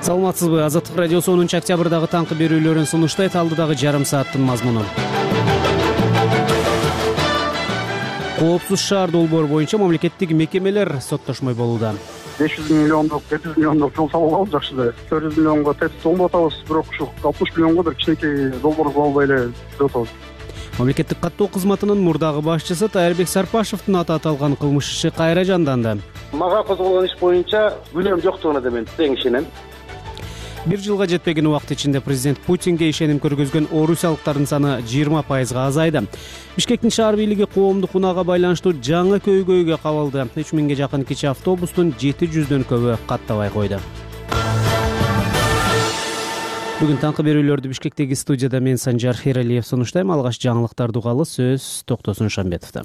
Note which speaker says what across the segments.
Speaker 1: Саламатсызбы? Азаттык радиосу 10 октябрдагы таңкы берүүлөрүн сунуштайт. Алдыдагы жарым сааттын мазмуну. Коопсуз шаар долбоору боюнча мамлекеттик мекемелер соттошмой болууда.
Speaker 2: 500 миллиондук, 700 миллиондук жол салып алабыз жакшы. 400 миллионго тест толуп атабыз, бирок ушу 60 миллионго бир кичинекей долбоор кылып албай эле жүрүп атабыз.
Speaker 1: Мамлекеттик каттоо кызматынын мурдагы башчысы Тайырбек Сарпашевдин аты аталган кылмыш иши кайра жанданды.
Speaker 3: Мага козголгон иш боюнча күнөөм жоктугуна да мен тең ишенем.
Speaker 1: Бир жылга жетпеген убакыт ичинде президент Путинге ишеним көргөзгөн орусиялыктардын саны 20% азайды. Бишкектин шаар бийлиги коомдук унаага байланыштуу жаңы көйгөйгө кабылды. 3000ге жакын кичи автобустун 700дөн көбү каттабай койду. Бүгүн таңкы берүүлөрдү Бишкектеги студияда мен Санжар Хералиев сунуштайм. Алгач жаңылыктарды угалы, сөз Токтосун Шамбетовдо.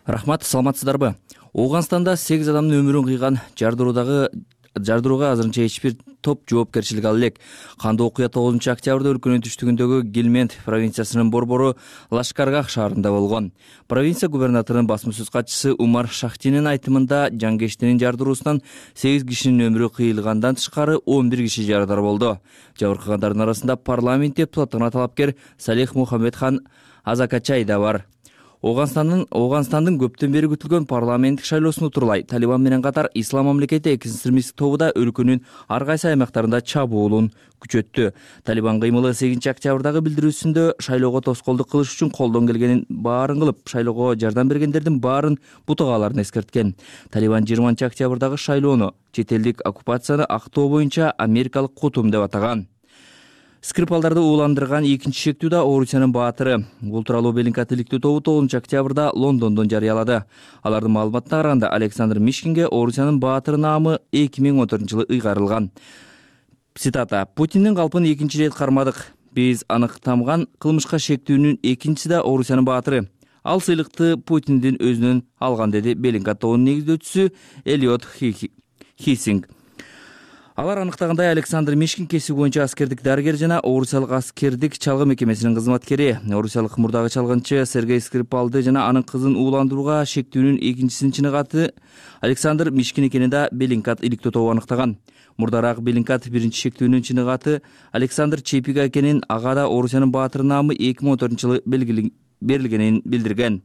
Speaker 4: Рахмат, саламатсыздарбы? Ооганстанда 8 адамдын өмүрүн кыйган жардырууга азырынча эч бир топ жоопкерчилик ала элек. Кандуу окуя 9 октябрда өлкөнүн түштүгүндөгү Гилмент провинциясынын борбору Лашкаргах шаарында болгон. Провинция губернаторунун басма сөз катчысы Умар Шахтинин айтымында жаңгештинин жардыруусунан 8 кишинин өмүрү кыйылгандан тышкары 11 киши жарадар болду. Жабыркагандардын арасында парламент депутатына талапкер Салих Мухаммедхан Азакачай да бар. Ооганстандын көптөн бери күтүлгөн парламенттик шайлоосун утурлай Талибан менен катар Ислам мамлекети экстремисттик тобу да өлкөнүн ар кайсы аймактарында чабуулун күчөттү. Талибан кыймылы 8 октябрдагы билдирүүсүндө шайлоого тоскоолдук кылыш үчүн колдон келгенин баарын кылып, шайлоого жардам бергендердин баарын бутугааларын эскерткен. Талибан 20 октябрдагы шайлоону чет элдик оккупацияны актоо боюнча америкалык кутум деп атаган. Скрипалдарды ууландырган экинчи шектүү да Орусиянын баатыры. Бул тууралуу Беллингкат иликтөө тобу 9 октябрда Лондондон жарыялады. Алардын маалыматына караганда Александр Мишкинге Орусиянын баатыры наамы 2014-жылы ыйгарылган. Цитата: "Путиндин калпын экинчи ирет кармадык. Биз аныктамган кылмышка шектүүнүн экинчиси да Орусиянын баатыры. Ал сыйлыкты Путиндин өзүнөн алган", деди Беллингкат тобунун негиздөөчүсү Эллиот Хиссинг. Алар аныктагандай Александр Мишкин кесиби боюнча аскердик дарыгер жана Орусиялык аскердик чалгы мекемесинин кызматкери. Орусиялык мурдагы чалгынчы Сергей Скрипалды жана анын кызын ууландырууга шектүүнүн экинчисинин чыныгаты Александр Мишкин экенин да Беллингкат иликтөө тобу аныктаган. Мурдараак Беллингкат биринчи шектүүнүн чыныгаты Александр Чепига экенин, ага да Орусиянын баатыры наамы 2014-жылы берилгенин билдирген.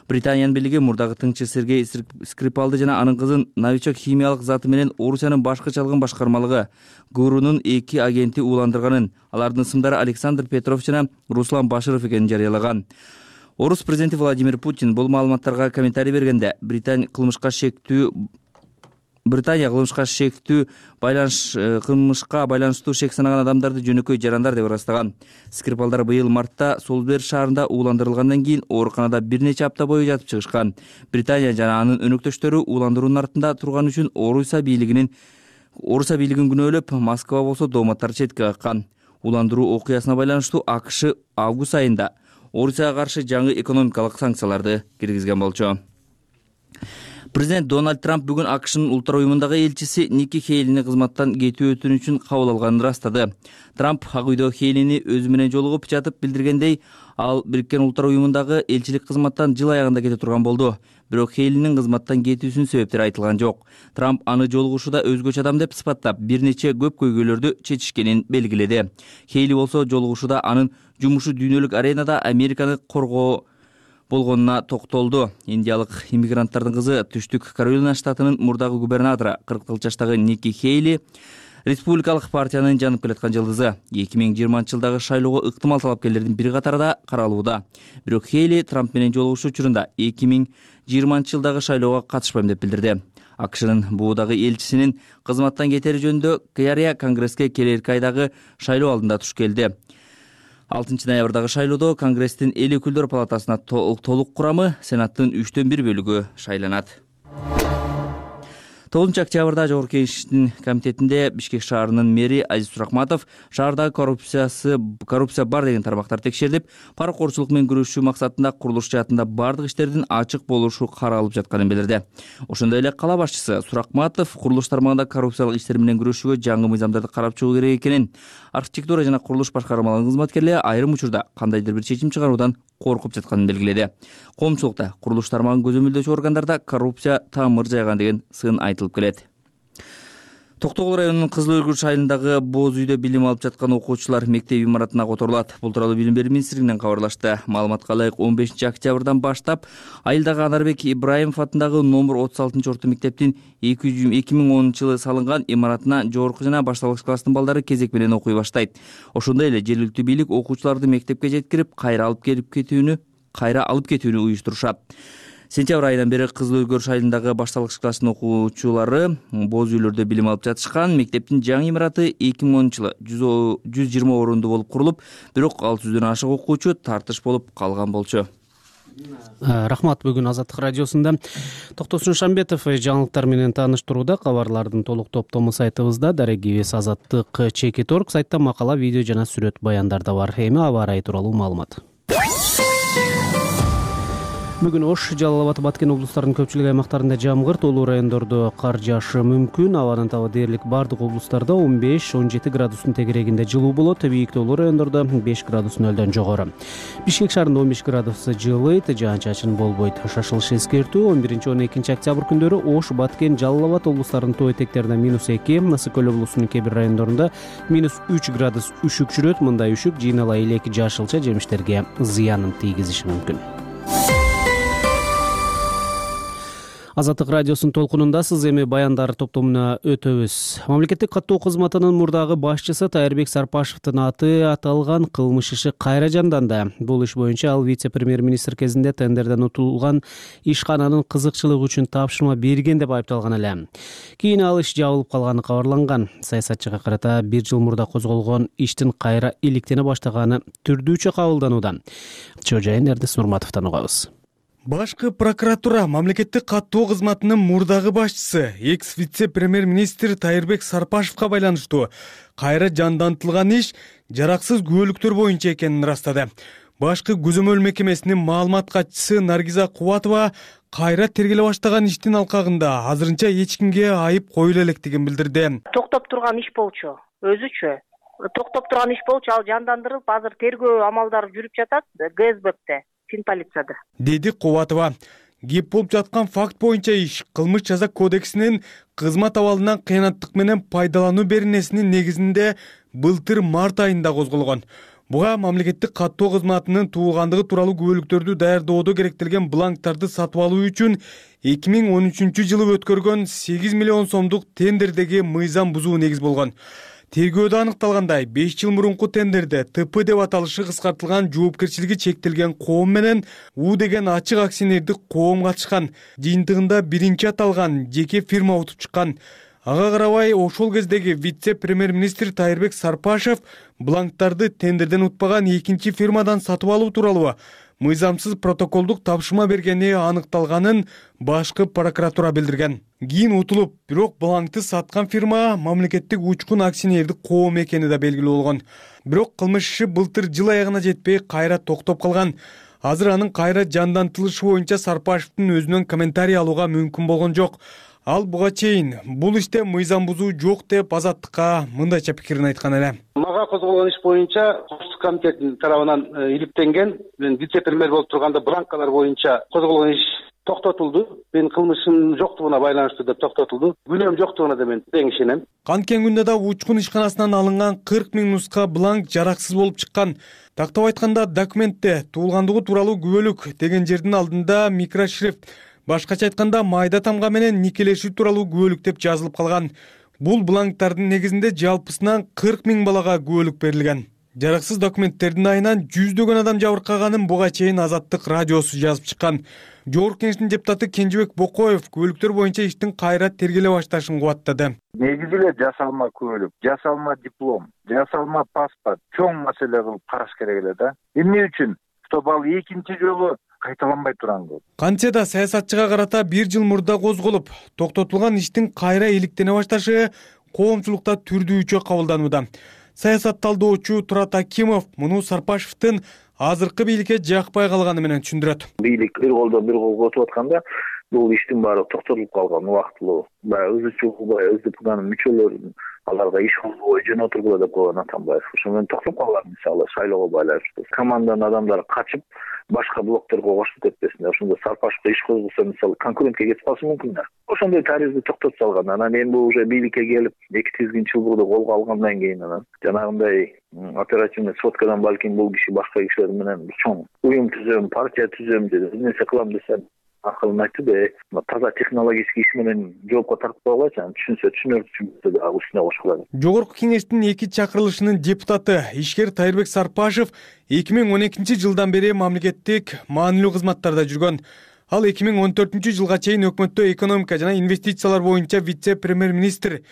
Speaker 4: Британиянын бийлиги мурдагы тыңчы Сергей Скрипалды жана анын кызын новичок химиялык заты менен Орусиянын башкы чалгын башкармалыгы ГУРунун 2 агенти ууландырганын, алардын ысымдары Александр Петров жана Руслан Баширов экенин жарыялаган. Орус президенти Владимир Путин бул маалыматтарга комментарий бергенде Британия кылмышка байланыштуу шек санаган адамдарды жөнөкөй жарандар деп ырастаган. Скрипалдар быйыл мартта Солсбери шаарында ууландырылгандан кийин ооруканада бир нече апта бою жатып чыгышкан. Британия жана анын өнөктөштөрү ууландыруунун артында турган үчүн Орусия бийлигин күнөөлөп, Москва болсо дооматтарды четке каккан. Ууландыруу окуясына байланыштуу АКШ август айында Орусияга каршы жаңы экономикалык санкцияларды киргизген болчу. Президент Дональд Трамп бүгүн АКШнын улуттар уюмундагы элчиси Ники Хейлини кызматтан кетүү өтүнүчүн кабыл алганын ырастады. Трамп Ак үйдө Хейлини өзү менен жолугуп жатып билдиргендей, ал Бириккен Улуттар уюмундагы элчилик кызматтан жыл аягында кете турган болду. Бирок Хейлинин кызматтан кетүүсүнүн себептери айтылган жок. Трамп аны жолугушууда өзгөчө адам деп сыпаттап, бир нече көп көйгөйлөрдү чечишкенин белгиледи. Хейли болсо жолугушууда анын жумушу дүйнөлүк аренада Американы коргоо болгонуна токтолду. Индиялык иммигранттардын кызы Түштүк Каролина штатынын мурдагы губернатору 44 жаштагы Ники Хейли республикалык партиянын жанып келаткан жылдызы. 2020-жылдагы шайлоого ыктымал талапкерлердин бир катары да каралууда. Бирок Хейли Трамп менен жолугушуу учурунда 2020-жылдагы шайлоого катышпайм деп билдирди. АКШнын буудагы элчисинин кызматтан кетери жөнүндө Кыярия Конгресске келерки айдагы шайлоо алдында туш келди. 6 ноябрдагы шайлоодо Конгресстин эл өкүлдөр палатасына толук курамы Сенаттын 3/1 бөлүгү шайланат. 9 октябрда Жогорку Кеңештин комитетинде Бишкек шаарынын мэри Азиз Суракматов шаардагы коррупция бар деген тармактар текшерилип, паракорчулук менен күрөшүү максатында курулуш жаатында бардык иштердин ачык болушу каралып жатканын билдирди. Ошондой эле кала башчысы Суракматов курулуш тармагында коррупциялык иштер менен күрөшүүгө жаңы мыйзамдарды карап чыгуу керек экенин, архитектура жана курулуш башкармаларынын кызматкерлери айрым учурда кандайдыр бир чечим чыгаруудан коркуп жатканын белгиледи. Коомчулукта курулуш тармагын көзөмөлдөөчү органдарда коррупция тамыр жайган деген сын айтылып келет. Токтогул районунун Кызыл Өргүч айылындагы боз үйдө билим алып жаткан окуучулар мектеп имаратына которулат. Бул тууралуу Билим берүү министрлигинен кабарлашты. Маалыматка ылайык 15 октябрдан баштап айылдагы Анарбек Ибраимов атындагы номер 36-орто мектептин 2010-жылы салынган имаратына жогорку жана башталгыч класстын балдары кезек менен окуй баштайт. Ошондой эле жергиликтүү бийлик окуучуларды мектепке жеткирип, кайра алып кетүүнү уюштурушат. Сентябрь айынан бери Кызыл Өргүч айылындагы башталгыч класстын окуучулары боз үйлөрдө билим алып жатышкан. Мектептин жаңы имараты 2010-жылы 120 орунду болуп курулуп, бирок 600дөн ашык окуучу тартыш болуп калган болчу.
Speaker 1: Рахмат. Бүгүн Азаттык радиосунда Токтосун Шамбетов жаңылыктар менен тааныштырууда. Кабарлардын толук топтому сайтыбызда дарегибиз azattik.org сайтта макала, видео жана сүрөт баяндар да бар. Эми аба ырайы тууралуу маалымат. Бүгүн Ош, Жалал Абад, Баткен облустарынын көпчүлүк аймактарында жамгыр, тоолуу райондордо кар жаашы мүмкүн. Абанын табы дээрлик бардык облустарда 15-17 градустун тегерегинде жылуу болот. Бийик тоолуу райондордо 5 градус нөлдөн жогору. Бишкек шаарында 15 градус жылыйт, жаан-чачын болбойт. Шашылыш эскертүү 11-12 октябрь күндөрү Ош, Баткен, Жалал Абад облустарынын тоо этектеринде -2, Ысык көл облусунун кээ бир райондорунда -3 градус үшүк жүрөт. Мындай үшүк жыйнала элек жашылча жемиштерге зыянын тийгизиши мүмкүн. Азаттык радиосунун толкунунда сиз эми баяндар топтомуна өтөбүз. Мамлекеттик каттоо кызматынын мурдагы башчысы Тайырбек Сарпашевдин аты аталган кылмыш иши кайра жанданды. Бул иш боюнча ал вице-премьер-министр кезинде тендерден утулган ишкананын кызыкчылыгы үчүн тапшырма берген деп айыпталган эле. Кийин ал иш жабылып калганы кабарланган. Саясатчыга карата 1 жыл мурда козголгон иштин кайра иликтене баштаганы түрдүүчө кабылданууда. Чоо жайын Эрдес Нурматовдон угабыз.
Speaker 5: Башкы прокуратура мамлекеттик каттоо кызматынын мурдагы башчысы экс-вице-премьер-министр Тайырбек Сарпашевга байланыштуу кайра жандантылган иш жараксыз күбөлүктөр боюнча экенин ырастады. Башкы көзөмөл мекемесинин маалымат катчысы Наргиза Кубатова кайра тергеле баштаган иштин алкагында азырынча эч кимге айып коюла электигин билдирди.
Speaker 6: Токтоп турган иш болчу, өзүчө. Токтоп турган иш болчу, ал жандандырылып, азыр тергөө амалдары жүрүп жатат ГСБКте. Полицияда,
Speaker 5: деди Кубатова. Кеп болуп жаткан факт боюнча иш кылмыш жаза кодексинин кызмат абалынан кыянаттык менен пайдалануу беренесинин негизинде былтыр март айында козголгон. Буга мамлекеттик каттоо кызматынын туулгандыгы тууралуу күбөлүктөрдү даярдоодо керектелген бланктарды сатып алуу үчүн 2013-жылы өткөргөн 8 миллион сомдук тендердеги мыйзам бузуу негиз болгон. Тергөөдө аныкталгандай 5 жыл мурунку тендерде ТП деп аталышы кыскартылган жоопкерчилиги чектелген коом менен У деген ачык акционердик коом катышкан. Жыйынтыгында биринчи аталган жеке фирма утуп чыккан. Ага карабай ошол кездеги вице-премьер-министр Тайырбек Сарпашев бланктарды тендерден утпаган экинчи фирмадан сатып алуу тууралуу мыйзамсыз протоколдук тапшырма бергени аныкталганын башкы прокуратура билдирген. Кийин утулуп, бирок бланкты саткан фирма мамлекеттик учкун акционердик коом экени да белгилүү болгон. Бирок кылмыш иши былтыр жыл аягына жетпей кайра токтоп калган. Азыр анын кайра жандантылышы боюнча Сарпашевдин өзүнөн комментарий алууга мүмкүн болгон жок. Ал буга чейин бул иште мыйзам бузуу жок деп Азаттыкка мындайча пикирин айткан эле.
Speaker 3: Мага козголгон иш боюнча Коопсуздук комитетинин тарабынан иликтенген, мен вице-премьер болуп турганда бланкалар боюнча козголгон иш токтотулду. Мен кылмышым жоктугуна байланыштуу деп токтотулду. Күнөөм жоктугуна да мен тең ишенем.
Speaker 5: Канткен күндө да учкун ишканасынан алынган 40 000 нуска бланк жараксыз болуп чыккан. Тактап айтканда документте туулгандыгы тууралуу күбөлүк деген жердин алдында микрошрифт, башкача айтканда майда тамга менен никелешүү тууралуу күбөлүк деп жазылып калган. Бул бланктардын негизинде жалпысынан 40 000 балага күбөлүк берилген. Жараксыз документтердин айынан жүздөгөн адам жабыркаганын буга чейин Азаттык радиосу жазып чыккан. Жогорку Кеңештин депутаты Кенжебек Бокоев күбөлүктөр боюнча иштин кайра тергеле башташын кубаттады.
Speaker 7: Негизи эле жасалма күбөлүк, жасалма диплом, жасалма паспорт чоң маселе кылып караш керек эле да. Эмне үчүн? Чтобы ал экинчи жолу кайталанбай турган.
Speaker 5: Кантсе да саясатчыга карата 1 жыл мурда козголуп, токтотулган иштин кайра иликтене башташы коомчулукта түрдүүчө кабылданууда. Саясат талдоочу Турат Акимов муну Сарпашевдин азыркы бийликке жакпай калганы менен түшүндүрөт.
Speaker 7: Бийлик бир колдон бир кол отуп атканда бул иштин баары токтотулуп калган убактылуу. Баягы ызычуу, баягы СДПнын мүчөлөрүнүн аларга иш кылбой жөн отургула деп койгон Атамбаев. Ошо менен токтоп калган, мисалы шайлоого байланыштуу. Команданын адамдары качып башка блокторго кошту кетпесин. Ошондо Сарпашевка иш козгосо, мисалы конкурентке кетип калышы мүмкүн да. Ошондой тарихти токтотуп салган. Анан эми бул уже бийликке келип 2 тизгинчиликти колго алгандан кийин анан жанагындай оперативный сводкадан балким бул киши башка кишилер менен чоң уюм түзөм, партия түзөм деп бир нерсе кылам десе акылын айтты да, таза технологический иш менен жоопко тартып койгойчу, түшүнсө түшүнөрчү да үстүнө кошкулар.
Speaker 5: Жогорку кеңештин 2 чакырылышынын депутаты ишкер Тайырбек Сарпашев 2012-жылдан бери мамлекеттик маанилүү кызматтарда жүргөн. Ал 2014-жылга чейин өкмөттө экономика жана инвестициялар боюнча вице-премьер-министр,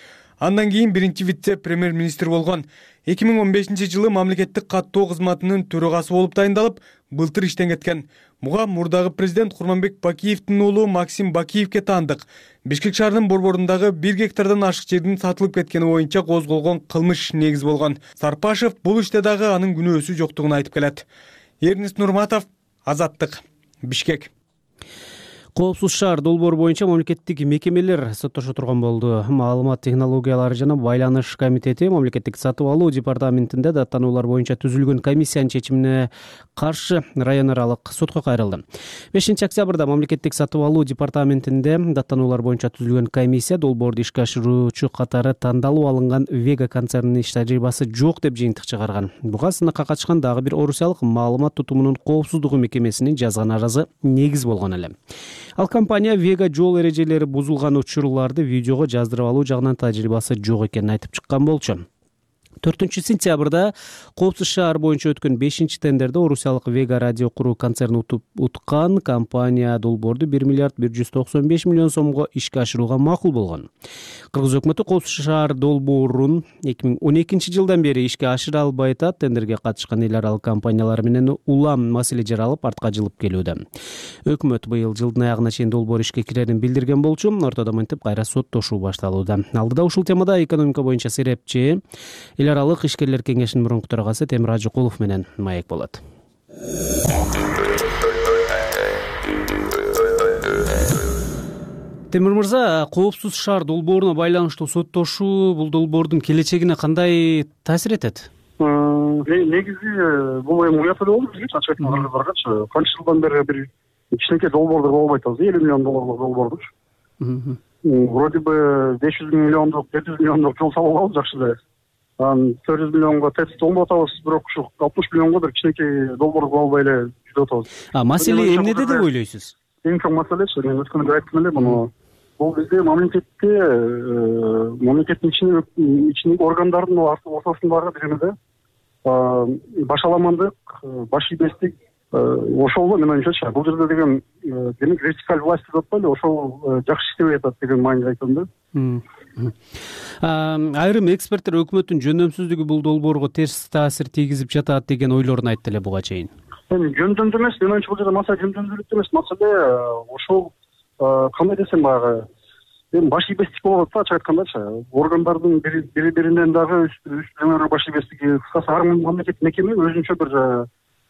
Speaker 5: андан кийин биринчи вице-премьер-министр болгон. 2015-жылы мамлекеттик каттоо кызматынын төрагасы болуп дайындалып, былтыр иштен кеткен. Буга мурдагы президент Курманбек Бакиевдин уулу Максим Бакиевке таандык. Бишкек шаарынын борборундағы 1 гектардан ашык жердин сатылып кеткени боюнча козголгон кылмыш негиз болгон. Сарпашев бул иште дагы анын күнөөсү жоктугун айтып келет. Эрнис Нурматов, Азаттык, Бишкек.
Speaker 1: Коопсуз шаар долбоору боюнча мамлекеттик мекемелер соттошо турган болду. Маалымат технологиялары жана байланыш комитети мамлекеттик сатып алуу департаментинде даттануулар боюнча түзүлгөн комиссиянын чечимине каршы район аралык сотко кайрылды. 5-октябрда мамлекеттик сатып алуу департаментинде даттануулар боюнча түзүлгөн комиссия долбоорду ишке ашыруучу катары тандалып алынган Вега концернинин иш тажрыйбасы жок деп жыйынтык чыгарган. Буга сынакка катышкан дагы бир орусиялык маалымат тутумунун коопсуздугу мекемесинин жазган арызы негиз болгон эле. Ал компания Вега жол эрежелери бузулган учурларды видеого жаздырып алуу жагынан тажрыйбасы жок экенин айтып чыккан болчу. 4-сентябрда Коопсуз шаар боюнча өткөн 5-тендерде орусиялык Вега радио куруу концерни уткан компания долбоорду 1 миллиард 195 миллион сомго ишке ашырууга макул болгон. Кыргыз өкмөтү Коопсуз шаар долбоорун 2012-жылдан бери ишке ашыра албай атат. Тендерге катышкан эл аралык компаниялар менен улам маселе жаралып артка жылып келүүдө. Өкмөт быйыл жылдын аягына чейин долбоор ишке кирерин билдирген болчу. Ортодо мынтип кайра соттошуу башталууда. Алдыда ушул темада экономика боюнча серепчи эл аралык ишкерлер кеңешинин мурунку төрагасы Темир Ажыкулов менен маек болот. Темир мырза, коопсуз шаар долбооруна байланыштуу соттошуу бул долбоордун келечегине кандай таасир этет?
Speaker 2: Негизи бул эми уят эле болду бизге, ачык айтканда баргачы. Канча жылдан бери бир кичинекей долбоорду болбой атабыз, 50 миллион долларлык долбоордучу. Вроде бы 500 миллиондук, 700 миллиондук жол салып алабыз жакшы эле. 400 миллионго ТЭЦ толуп атабыз, бирок ушу 60 миллионго бир кичинекей долбоор кыла албай эле жүрүп атабыз.
Speaker 1: Маселе эмнеде деп ойлойсуз?
Speaker 2: Эң чоң маселечи, мен өткөндө айттым эле муну. Бул бизде мамлекеттин ичиндеги органдардын ортосундагы бир эмеде башаламандык, баш ийбестик ошол мен оюмчачы. Бул жерде деген демек вертикаль власть деп атпайлы, ошол жакшы иштебей атат деген мааниде айтам да.
Speaker 1: Айрым эксперттер өкмөттүн жөндөмсүздүгү бул долбоорго терс таасир тийгизип жатат деген ойлорун айтты эле буга чейин.
Speaker 2: Эми жөндөмдүү эмес, мен оюмча бул жерде маселе жөндөмдүүлүктө эмес, маселе ошол кандай десем баягы эми баш ийбестик болуп атат, ачык айткандачы. Органдардын бири-биринен дагы үстүнөн баш ийбестиги, кыскасы ар мамлекеттик мекеме өзүнчө бир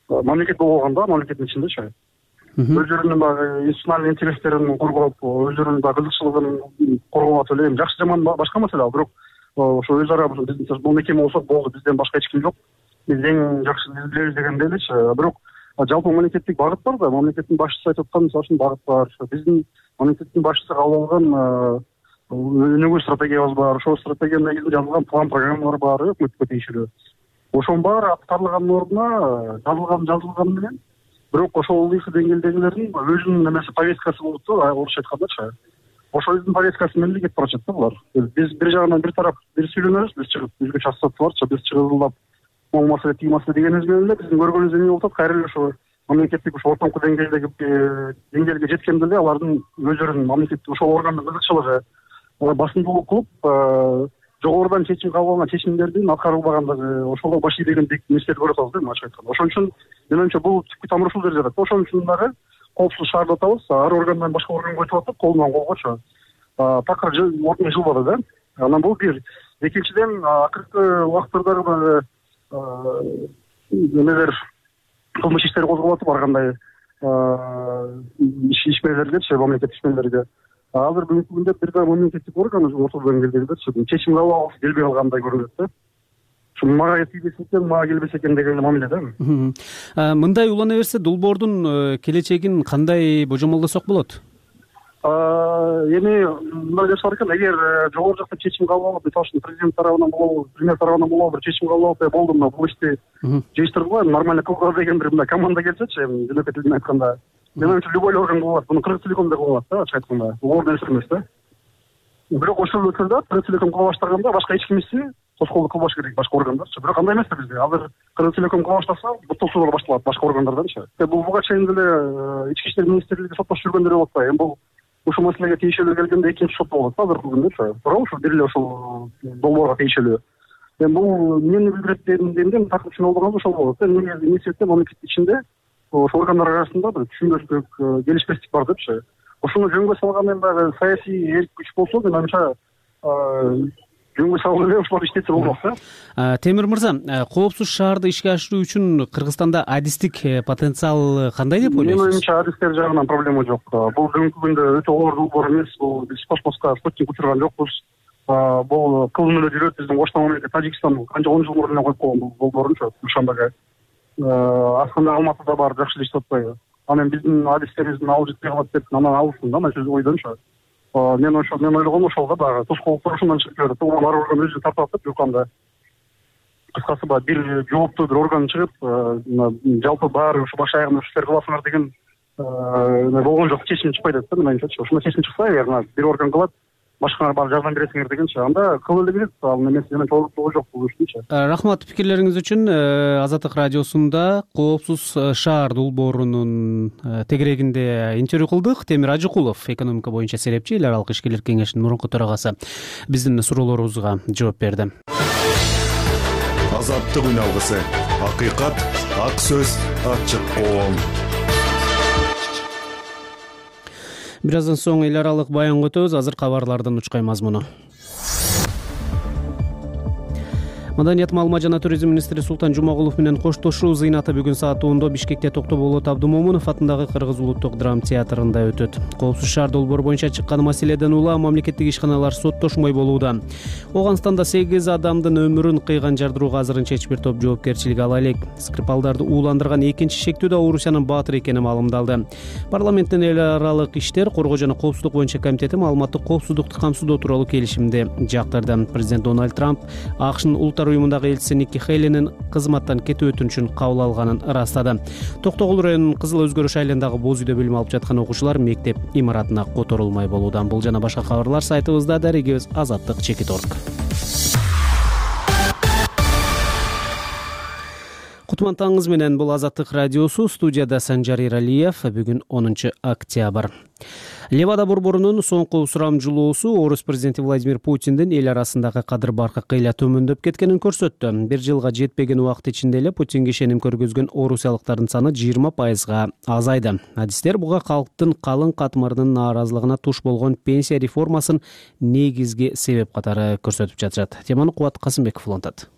Speaker 2: мамлекет болуп алган да, мамлекеттин ичиндечи. Өздөрүнүн баягы институционалдык интерестерин коргоп, өздөрүнүн баягы кызыкчылыгын коргоп атып эле, жакшы жаман башка маселе ал, бирок ошо өз ара бул мекеме болсо болду, бизден башка эч ким жок, биз эң жакшы билебиз дегенде элечи. Бирок жалпы мамлекеттик багыт бар да, мамлекеттин башчысы айтып аткан мисалы үчүн багыт бар. Биздин мамлекеттин башчысы кабыл алган өнүгүү стратегиябыз бар. Ошол стратегиянын негизинде жазылган план программалар бар, өкмөткө тийиштүү. Ошонун баары аткарылган ордуна жазылган менен, бирок ошол деңгээлдегилердин өзүнүн эмеси повесткасы болуп да, орусча айткандачы. Ошол өзүнүн повесткасы менен эле кетип баратат да булар. Биз бир жагынан бир тарап бир сүйлөнөбүз, биз чыгып өзгөчө ассоциацияларчы, биз чыгылдап могул маселе тиги маселе дегенибиз менен эле биздин көргөнүбүз эмне болуп атат, кайра эле ошо мамлекеттик ошо ортоңку деңгээлге жеткенде эле алардын өздөрүнүн мамлекеттик ошол органдын кызыкчылыгы басымдуулук кылып жогорудан чечим кабыл алган чечимдердин аткарылбагандыгы, ошого баш ийбеген нерселерди көрүп атабыз да, ачык айтканда. Ошон үчүн мен оюмча бул түпкү тамыры ушул жерде жатат. Ошон үчүн дагы коопсуз шаар деп атабыз, ар органдан башка органга өтүп атат, колунан колгочу. Такыр ордуна жылбады да. Анан бул бир. Экинчиден, акыркы убакыттардагы эмелер кылмыш иштери козголуп атып, ар кандай ишмерлердечи, мамлекеттик ишмерлерге. азыр бүгүнкү күндө бир да мемлекеттик орган ортодо деңгээлдегидечи чечим кабыл алгысы келбей калгандай көрүнөт да. Ушу мага тийбесе экен, мага келбесе экен деген мамиле да.
Speaker 1: Мындай улана берсе долбоордун келечегин кандай божомолдосок болот?
Speaker 2: Эми мындай жашар экен, эгер жогору жакта чечим кабыл алып, мисалы үчүн президент тарабынан болобу, премьер тарабынан болобу бир чечим кабыл алып, болду мына бул ишти жыйыштыргыла, нормально кылгыла деген бир мындай команда келсечи, эми жөнөкөй тил менен айтканда, мен оюмча любой орган кыла алат. Буну Кыргызтелеком да кыла алат да, ачык айтканда. Ордун нерсе эмес да. Бирок ошол өтүлдө Кыргызтелеком кыла баштаганда башка эч кимиси тоскоолдук кылбаш керек башка органдарчы. Бирок андай эмес да бизде. Азыр Кыргызтелеком кыла баштаса, буттуктуулар башталат башка органдарданчы. Буга чейин деле Ички иштер министрлиги соттошуп жүргөндөр болуп атпайбы? Эми бул ушул маселеге тийишелүү келгенде экинчи сот болот азыркы күндө. Туурабы? Ушул бир эле ушул долбоорго тийишелүү. Эми бул эмнени билдирет дегенде такыр түшүнүп алганыбыз ошол болот. Эмне себептен мамлекет ичинде ошол органдар арасында бир түшүнбөстүк, келишпестик бар депчи. Ошону жөнгө салган эми дагы саясий эрк күч болсо, мен оюмча жөнгө салып эле ошолор иштетсе болмок да.
Speaker 1: Темир мырза, коопсуз шаарды ишке ашыруу үчүн Кыргызстанда адистик потенциал кандай деп ойлойсуз?
Speaker 2: Менин оюмча адистер жагынан проблема жок. Бул бүгүнкү күндө өтө оор долбоор эмес. Бул биз космоска спутник учурган жокпуз. Бул кылым эле жүрөт. Биздин коштон мамлекет Тажикстан канча 10 жыл мурун эле коюп койгон бул долбоорунчу Душанбеге. Асканда Алматыда бар, жакшы иштеп атпайбы? Анан биздин адистерибиздин алып жетпей калат деп анан алсын да, мына ойдончу. Мен ойлогом ошолго дагы тоскоолдуктар ушундан чыгып келет. Ар орган өзү тартат деп жукканда. Кыскасы бир жооптуу бир орган чыгып, жалпы баары ушу баш аягында ушул иштер кыласыңар деген болгон жок, чечим чыкпай атат да, менимче. Ошондой чечим чыкса, эгер бир орган кылат, башкалар барып жардам бересиңер дегенчи, анда кыла эле берет. Ал эмес, менин тоогу жок бул иштинчи. Рахмат
Speaker 1: пикирлериңиз үчүн. Азаттык радиосунда коопсуз шаар долбоорунун тегерегинде интервью кылдык. Темир Ажыкулов, экономика боюнча серепчи, эл аралык ишкерлер кеңешинин мурунку төрагасы, биздин суроолорубузга жооп берди.
Speaker 8: Азаттык үн алгысы, акыйкат, ак сөз, ачык коом.
Speaker 1: Бир аздан соң эл аралык баянга өтөбүз. Азыр кабарлардын учкай мазмуну. Маданият, маалымат жана туризм министри Султан Жумагулов менен коштошуу зыйнаты бүгүн саат 10:00 Бишкекте Токтоболот Абдымомунов атындагы Кыргыз улуттук драма театрында өтөт. Коопсуз шаар долбоору боюнча чыккан маселеден улам мамлекеттик ишканалар соттошмой болууда. Оганстанда 8 адамдын өмүрүн кыйган жардырууга азырынча эч бир топ жоопкерчилик ала элек. Скрипалдарды ууландырган экинчи шектүү да Орусиянын баатыр экени маалымдалды. Парламенттин эл аралык иштер, коргоо жана коопсуздук боюнча комитети маалыматтык коопсуздукту камсыздоо тууралуу келишимди жактырды. Президент Дональд Трамп АКШнын улуттар уюмундагы элчиси Никки Хейлинин кызматтан кетүү өтүнүчүн кабыл алганын ырастады. Токтогул районунун Кызыл Өзгөрүш айылындагы боз үйдө билим алып жаткан окуучулар мектеп имаратына которулмай болууда. Бул жана башка кабарлар сайтыбызда, дарегибиз azattik.org. Кутман таңыңыз менен, бул Азаттык радиосу, студияда Санжар Иралиев. Бүгүн 10 октябрь. Левада борборунун соңку сурамжылоосу Орус президенти Владимир Путиндин эл арасындагы кадыр-баркы кыйла төмөндөп кеткенин көрсөттү. Бир жылга жетпеген убакыт ичинде эле Путинге ишеним көргөзгөн орусиялыктардын саны 20% азайды. Адистер буга калктын калың катмарынын нааразылыгына туш болгон пенсия реформасын негизги себеп катары көрсөтүп жатышат. Теманы Кубат Касымбеков улантат.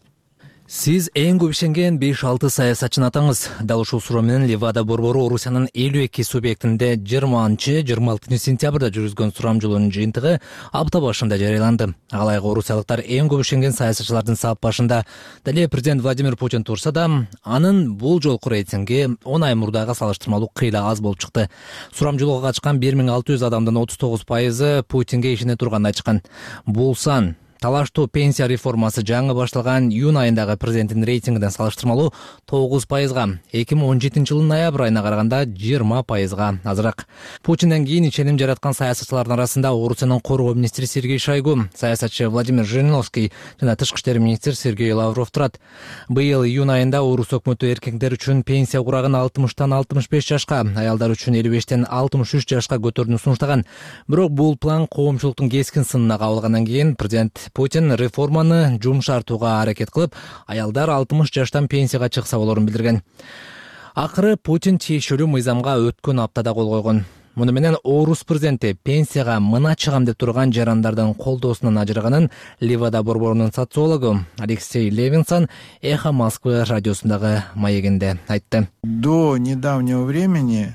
Speaker 9: Сиз эң көп ишенген 5-6 саясатчыны атаңыз. Дал ушул суроо менен Левада борбору Орусиянын 52 субъектинде 20-26 сентябрда жүргүзгөн сурамжылоонун жыйынтыгы апта башында жарыяланды. Алайга орусиялыктар эң көп ишенген саясатчылардын сап башында деле президент Владимир Путин турса да, анын бул жолку рейтинги 10 ай мурдага салыштырмалуу кыйла аз болуп чыкты. Сурамжылоого катышкан 1600 адамдын 39% Путинге ишене турганын айтышкан. Бул сан талаштуу пенсия реформасы жаңы башталган июнь айындагы президенттин рейтингинен салыштырмалуу 9%, 2017 жылдын ноябрь айына караганда 20% азыраак. Путинден кийин ишеним жараткан саясатчылардын арасында Орусиянын коргоо министри Сергей Шойгу, саясатчы Владимир Жириновский жана тышкы иштер министри Сергей Лавров турат. Быйыл июнь айында Орус өкмөтү эркектер үчүн пенсия курагын 60-тан 65 жашка, аялдар үчүн 55-тен 63 жашка көтөрүүнү сунуштаган. Бирок бул план коомчулуктун кескин сынына кабылгандан кийин президент Путин реформаны жумшартууга аракет кылып, аялдар 60 жаштан пенсияга чыкса болорун билдирген. Акыры Путин тиешелүү мыйзамга өткөн аптада кол койгон. Муну менен Орус президенти пенсияга мына чыгам деп турган жарандардын колдоосунан ажыраганын Левада борборунун социологу Алексей Левинсон Эхо Москвы радиосундагы маегинде айтты.
Speaker 10: До недавнего времени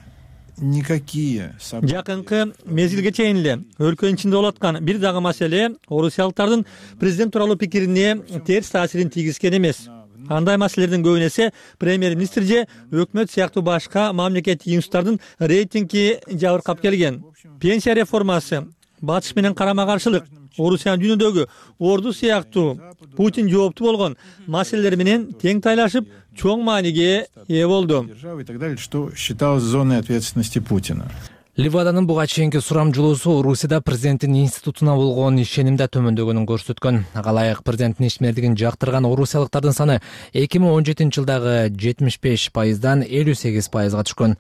Speaker 10: никакие события.
Speaker 11: Жакынкы мезгилге чейин эле өлкөнүн ичинде болуп аткан бир дагы маселе орусиялыктардын президент тууралуу пикирине терс таасирин тийгизген эмес. Андай маселелердин көбүнө эсе премьер-министр же өкмөт сыяктуу башка мамлекеттик институттардын рейтинги жабыркап келген. Пенсия реформасы, батыш менен карама каршылык, Орусиянын дүйнөдөгү орду сыяктуу Путин жооптуу болгон маселелер менен тең тайлашып, чоң мааниге ээ болду.
Speaker 10: И так далее, что считалось зоной ответственности Путина.
Speaker 9: Ливаданын буга чейинки сурамжылоосу Орусияда президенттин институтуна болгон ишеним да төмөндөгөнүн көрсөткөн. Ага ылайык президенттин ишмердигин жактырган орусиялыктардын саны 2017-жылдагы 75%дан 58%га түшкөн.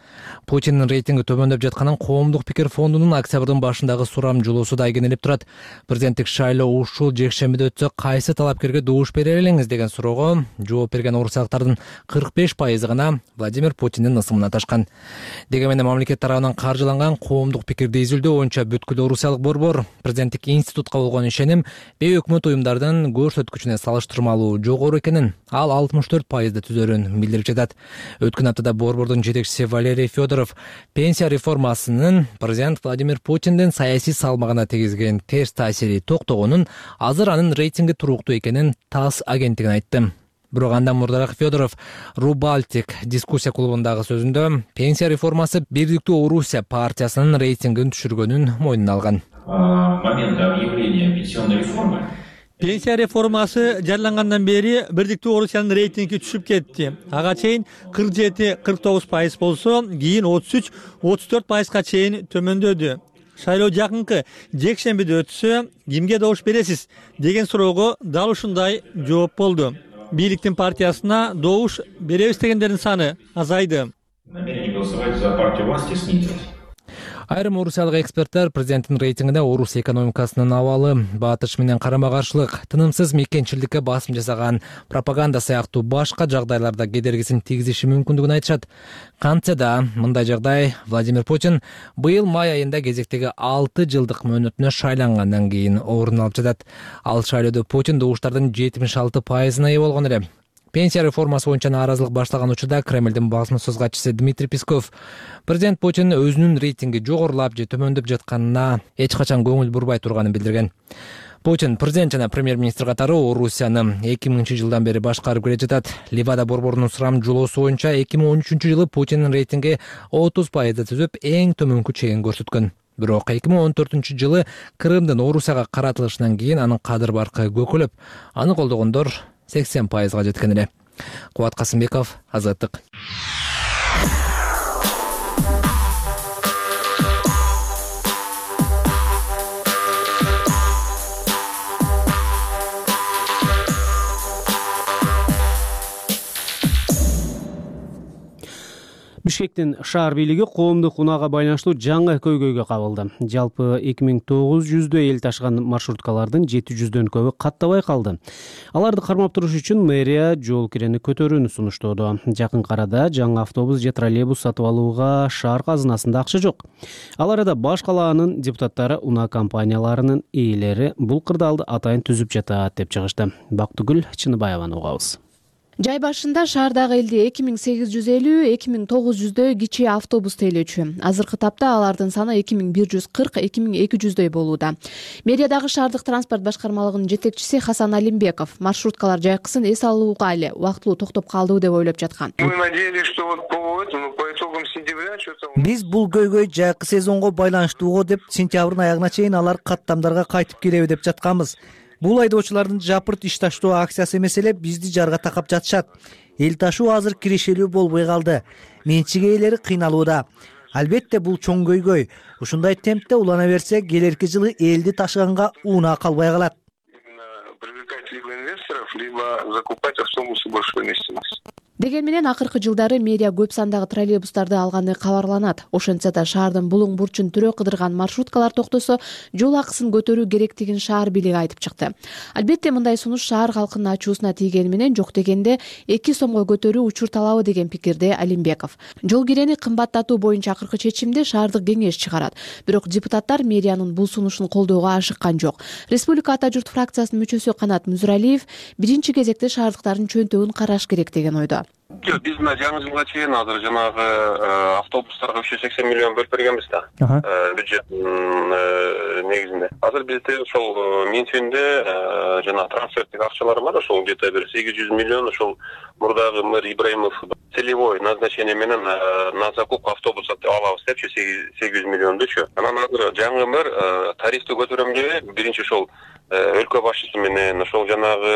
Speaker 9: Путиндин рейтинги төмөндөп жатканын Коомдук пикир фондунун октябрдын башындагы сурамжылоосу да игенелеп турат. Президенттик шайлоо ушул жекшембиде өтсө кайсы талапкерге добуш бере элеңиз деген суроого жооп берген орусиялыктардын 45% гана Владимир Путиндин ысымына ташкан. Дегенмен мамлекет тарабынан каржыланган коомдук пикирди изилдөө боюнча бүткүл орусиялык борбор президенттик институтка болгон ишеним бейөкмөт уюмдардын көрсөткүчүнө салыштырмалуу жогору экенин, ал 64%ды түзөрүн билдирип жатат. Өткөн аптада борбордун жетекчиси Валерий Федоров пенсия реформасынын президент Владимир Путиндин саясий салмагына тийгизген терс таасири токтогонун, азыр анын рейтинги туруктуу экенин ТАСС агенттигине айтты. Бирок андан мурдараак Федоров Рубалтик дискуссия клубундагы сөзүндө пенсия реформасы Бирдиктүү Орусия партиясынын рейтингин түшүргөнүн мойнуна алган.
Speaker 12: Момента объявления пенсионной реформы
Speaker 11: Пенсия реформасы жарыялангандан бери Бирдиктүү Орусиянын рейтинги түшүп кетти. Ага чейин 47-49% болсо, кийин 33-34%га чейин төмөндөдү. Шайлоо жакынкы жекшембиде өтсө, кимге добуш бересиз деген суроого дал ушундай жооп болду. Бийликтин партиясына добуш беребиз дегендердин саны азайды.
Speaker 12: намерение голосовать за партию власти снизилось.
Speaker 9: Айрым орусиялык эксперттер президенттин рейтингине Орус экономикасынын абалы, батыш менен карама каршылык, тынымсыз мекенчилдикке басым жасаган пропаганда сыяктуу башка жагдайларда кедергисин тийгизиши мүмкүндүгүн айтышат. Кантсе да мындай жагдай Владимир Путин быйыл май айында кезектеги 6 жылдык мөөнөтүнө шайлангандан кийин орун алып жатат. Ал шайлоодо Путин добуштардын 76%-на ээ болгон эле. Пенсия реформасы боюнча нааразылык башталган учурда Кремлдин басма-сөз катчысы Дмитрий Песков президент Путин өзүнүн рейтинги жогорулап же төмөндөп жатканына эч качан көңүл бурбай турганын билдирген. Путин президент жана премьер-министр катары Орусияны 2000-жылдан бери башкарып келе жатат. Ливада борборунун сурамжылоосу боюнча 2013-жылы Путиндин рейтинги 30%ды түзүп, эң төмөнкү чегин көрсөткөн. Бирок 2014-жылы Крымдын Орусияга каратылышынан кийин анын кадыр баркы көкөлөп, аны колдогондор 80%га жеткен эле. Кубат Касымбеков, Азаттык.
Speaker 1: Бишкектин шаар бийлиги коомдук унаага байланыштуу жаңы көйгөйгө кабылды. Жалпы 2900 эл ташыган маршруткалардын 700дөн көбү каттабай калды. Аларды кармап туруш үчүн мэрия жол кирени көтөрүүнү сунуштоодо. Жакын арада жаңы автобус же троллейбус сатып алууга шаар казынасында акча жок. Ал арада баш калаанын депутаттары унаа компанияларынын ээлери бул кырдаалды атайын түзүп жатат деп чыгышты. Бактыгүл Чыныбаеваны угабыз.
Speaker 13: Жай башында шаардагы элди 2850-2900дөй кичи автобус тейлөөчү. Азыркы тапта алардын саны 2140-2200дөй болууда. Мэриядагы шаардык транспорт башкармалыгынын жетекчиси Хасан Алимбеков маршруткалар жайкысын эс алууга эле убактылуу токтоп калды деп ойлоп жаткан.
Speaker 14: Мы надеялись, что вот по итогам сентября что-то.
Speaker 15: Биз бул көйгөй жайкы сезонго байланыштуу деп сентябрдын аягына чейин алар каттамдарга кайтып келеби деп жатканбыз. Бул айдоочулардын жапырт иш таштоо акциясы эмес эле бизди жарга такап жатышат. Эл ташуу азыр кирешелүү болбой калды. Менчик ээлери кыйналууда. Албетте бул чоң көйгөй. Ушундай темпте улана берсе, келерки жылы элди ташыганга унаа калбай калат.
Speaker 14: Привлекать либо инвесторов, либо закупать автобусы большой вместимости.
Speaker 13: Деген менен акыркы жылдары мэрия көп сандагы троллейбустарды алганы кабарланат. Ошентсе да шаардын булуң бурчун түрө кыдырган маршруткалар токтосо, жол акысын көтөрүү керектигин шаар бийлиги айтып чыкты. Албетте мындай сунуш шаар халкынын ачуусуна тийгени менен жок дегенде 2 сомго көтөрүү учур талабы деген пикирде Алимбеков. Жол кирени кымбаттатуу боюнча акыркы чечимди шаардык кеңеш чыгарат. Бирок депутаттар мэриянын бул сунушун колдоого ашыккан жок. Республика Ата журт фракциясынын мүчөсү Канат Музуралиев биринчи кезекте шаардыктардын чөнтөгүн караш керек деген ойдо.
Speaker 14: Жок, биз мына жаңы жылга чейин азыр жанагы автобустарга 380 миллион бөлүп бергенбиз да. Бюджеттин негизинде. Азыр бизде ошол менчүндө жана трансферттик акчалар бар, ошол где-то бир 800 миллион ошол мурдагы мэр Ибраимов целевой назначение менен на закупку автобуса алабыз депчи 800 миллиондучу. Анан азыр жаңы мэр тарифти көтөрөм деп биринчи ошол өлкө башчысы менен ошол жанагы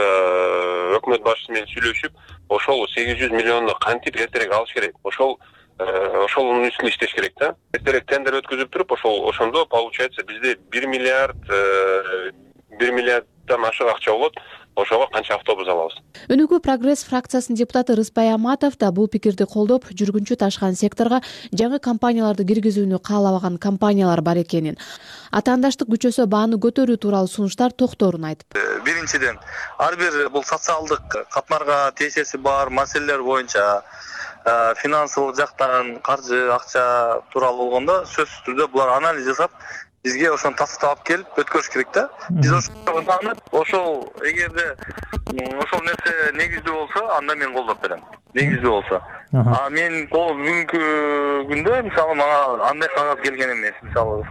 Speaker 14: өкмөт башчысы менен сүйлөшүп, ошол 800 миллионду кантип эртерээк алыш керек. Ошонун үстүндө иштеш керек да. Эртерээк тендер өткөзүп туруп, ошондо получается бизде 1 миллиарддан ашык акча болот. Ошого канча автобус алабыз.
Speaker 13: Өнүгүү прогресс фракциясынын депутаты Рыспай Аматов да бул пикирди колдоп, жүргүнчү ташкан секторго жаңы компанияларды киргизүүнү каалабаган компаниялар бар экенин, атаандаштык күчөсө бааны көтөрүү тууралуу сунуштар токторун айтып.
Speaker 16: Биринчиден, ар бир бул социалдык катмарга тиешеси бар маселелер боюнча финансылык жактан каржы, акча тууралуу болгондо сөзсүз түрдө булар анализ жасап, бизге ошону тастап келип өткөрүш керек да. Биз ошол эгерде ошол нерсе негиздүү болсо, анда мен колдоп берем. Негиздүү болсо. Мен бүгүнкү күндө мисалы мага андай кагаз келген эмес. Мисалы